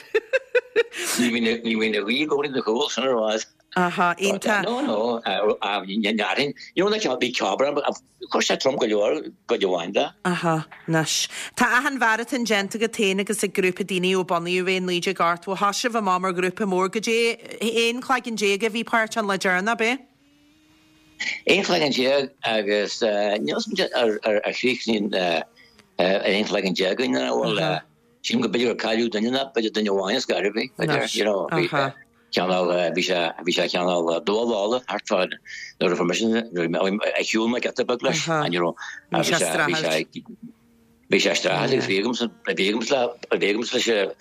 Ní bhíonn, ní bhíonn an ghaoth i gcónaí i do chúl, sin ar fad. Aha, iontach. No, no, ní dhéarfainn. You know, like, bhí ceapaire, chuir sé trom go leor, cuid amháin de. Aha, anois. Tá achan mharatón déanta agat féin agus ag grúpa daoine ó bunaíodh é in 1980. Thosaigh sibh amach mar ghrúpa mór. Goidé 11 cloigeann a bhí páirteach an lá deireanach, ab é? 11 cloigeann agus níl 'fhios a'm ar chríochnaigh ar 11 cloigeann againn nó bhfuil, sílim go b'fhéidir gur cailleadh duine nó b'fhéidir duine amháin is gairbh, b'fhéidir, you know, bhí cineál, bhí sé, bhí sé cineál dúbhálach thart fá nuair a fuair mise, nuair a shiúil mé giota beag leis, and you know, bhí sé, bhí sé, Bhí sé streachailt agus bhí agamsa, bhí agamsa le, bhí agamsa leis an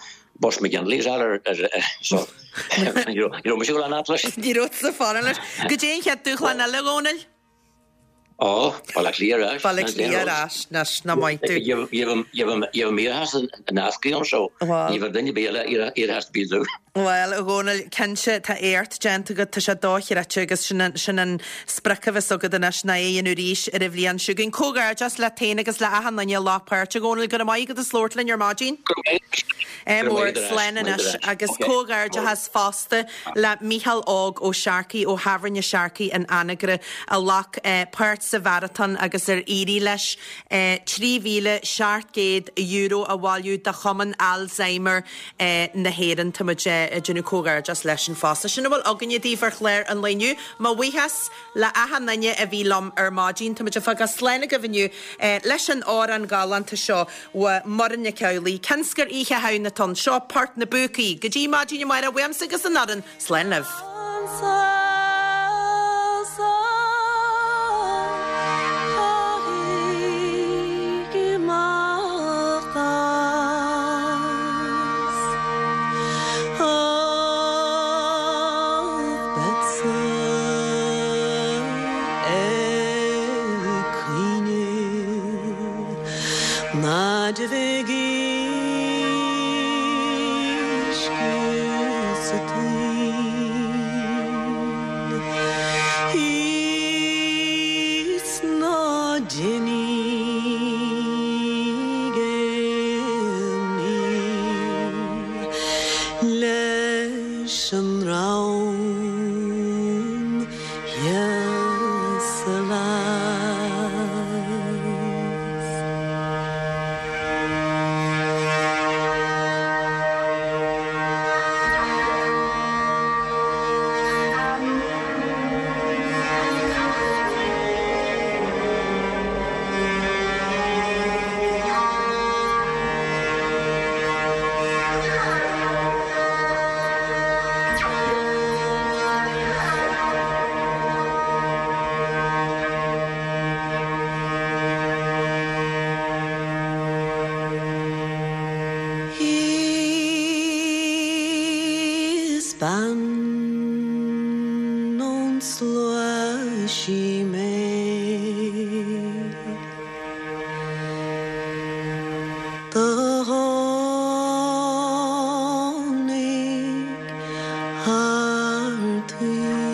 Bus McGinley as ar, ar, so, ní raibh, ní raibh mise ag dul an fhad leis. Ní raibh tusa fara leis. Goidé an chéad dúshlán eile, a Dhónaill? Ó, Baile Átha Cliath ar ais. Baile Átha Cliath ar ais, anois, nach maith tú. Gheibh iarratas in eascaí ann so, ní bheadh duine ar bith eile iarratas ar bith domh. Bhuel, a Dhónaill, cinnte, tá éacht déanta agat, tá sé dochreidte agus sin an, sin an sprioc a bheas agat anois ná é a dhéanamh arís ar an bhliain seo chugainn. Comhghairdeas leat féin agus le achan duine a ghlac páirt, a Dhónaill. Go raibh maith agat as labhairt linn ar maidin. Go raibh maith agat. Ádh mór, slán anois. Agus comhghairdeachas fosta le Mícheál Óg Ó Searcaigh ó Thábhairne Searcaigh in Anagaire a ghlac páirt sa mharatón agus ar éirigh leis €3,700 a bhailiú do Chumann Alzheimer na hÉireann. Tá muid ag déanamh comhghairdeas leisean fosta. Sin a bhfuil againne daoibh ar chlár an lae inniu. Mo bhuíochas le achan duine a bhí liom ar maidin. Tá muid ag fágáil slán agaibh inniu leis an amhrán galánta seo ó Muireann Nic Amhlaoibh. Cionn 's gur Oíche Shamhna atá ann. Seo Port na bPúcaí. Go dtí maidin amárach, uaimse agus an fhoireann, slán libh. Leis an ndream thíos a bheas. Is bean ón slua sí mé. Do tháinig thar taoille.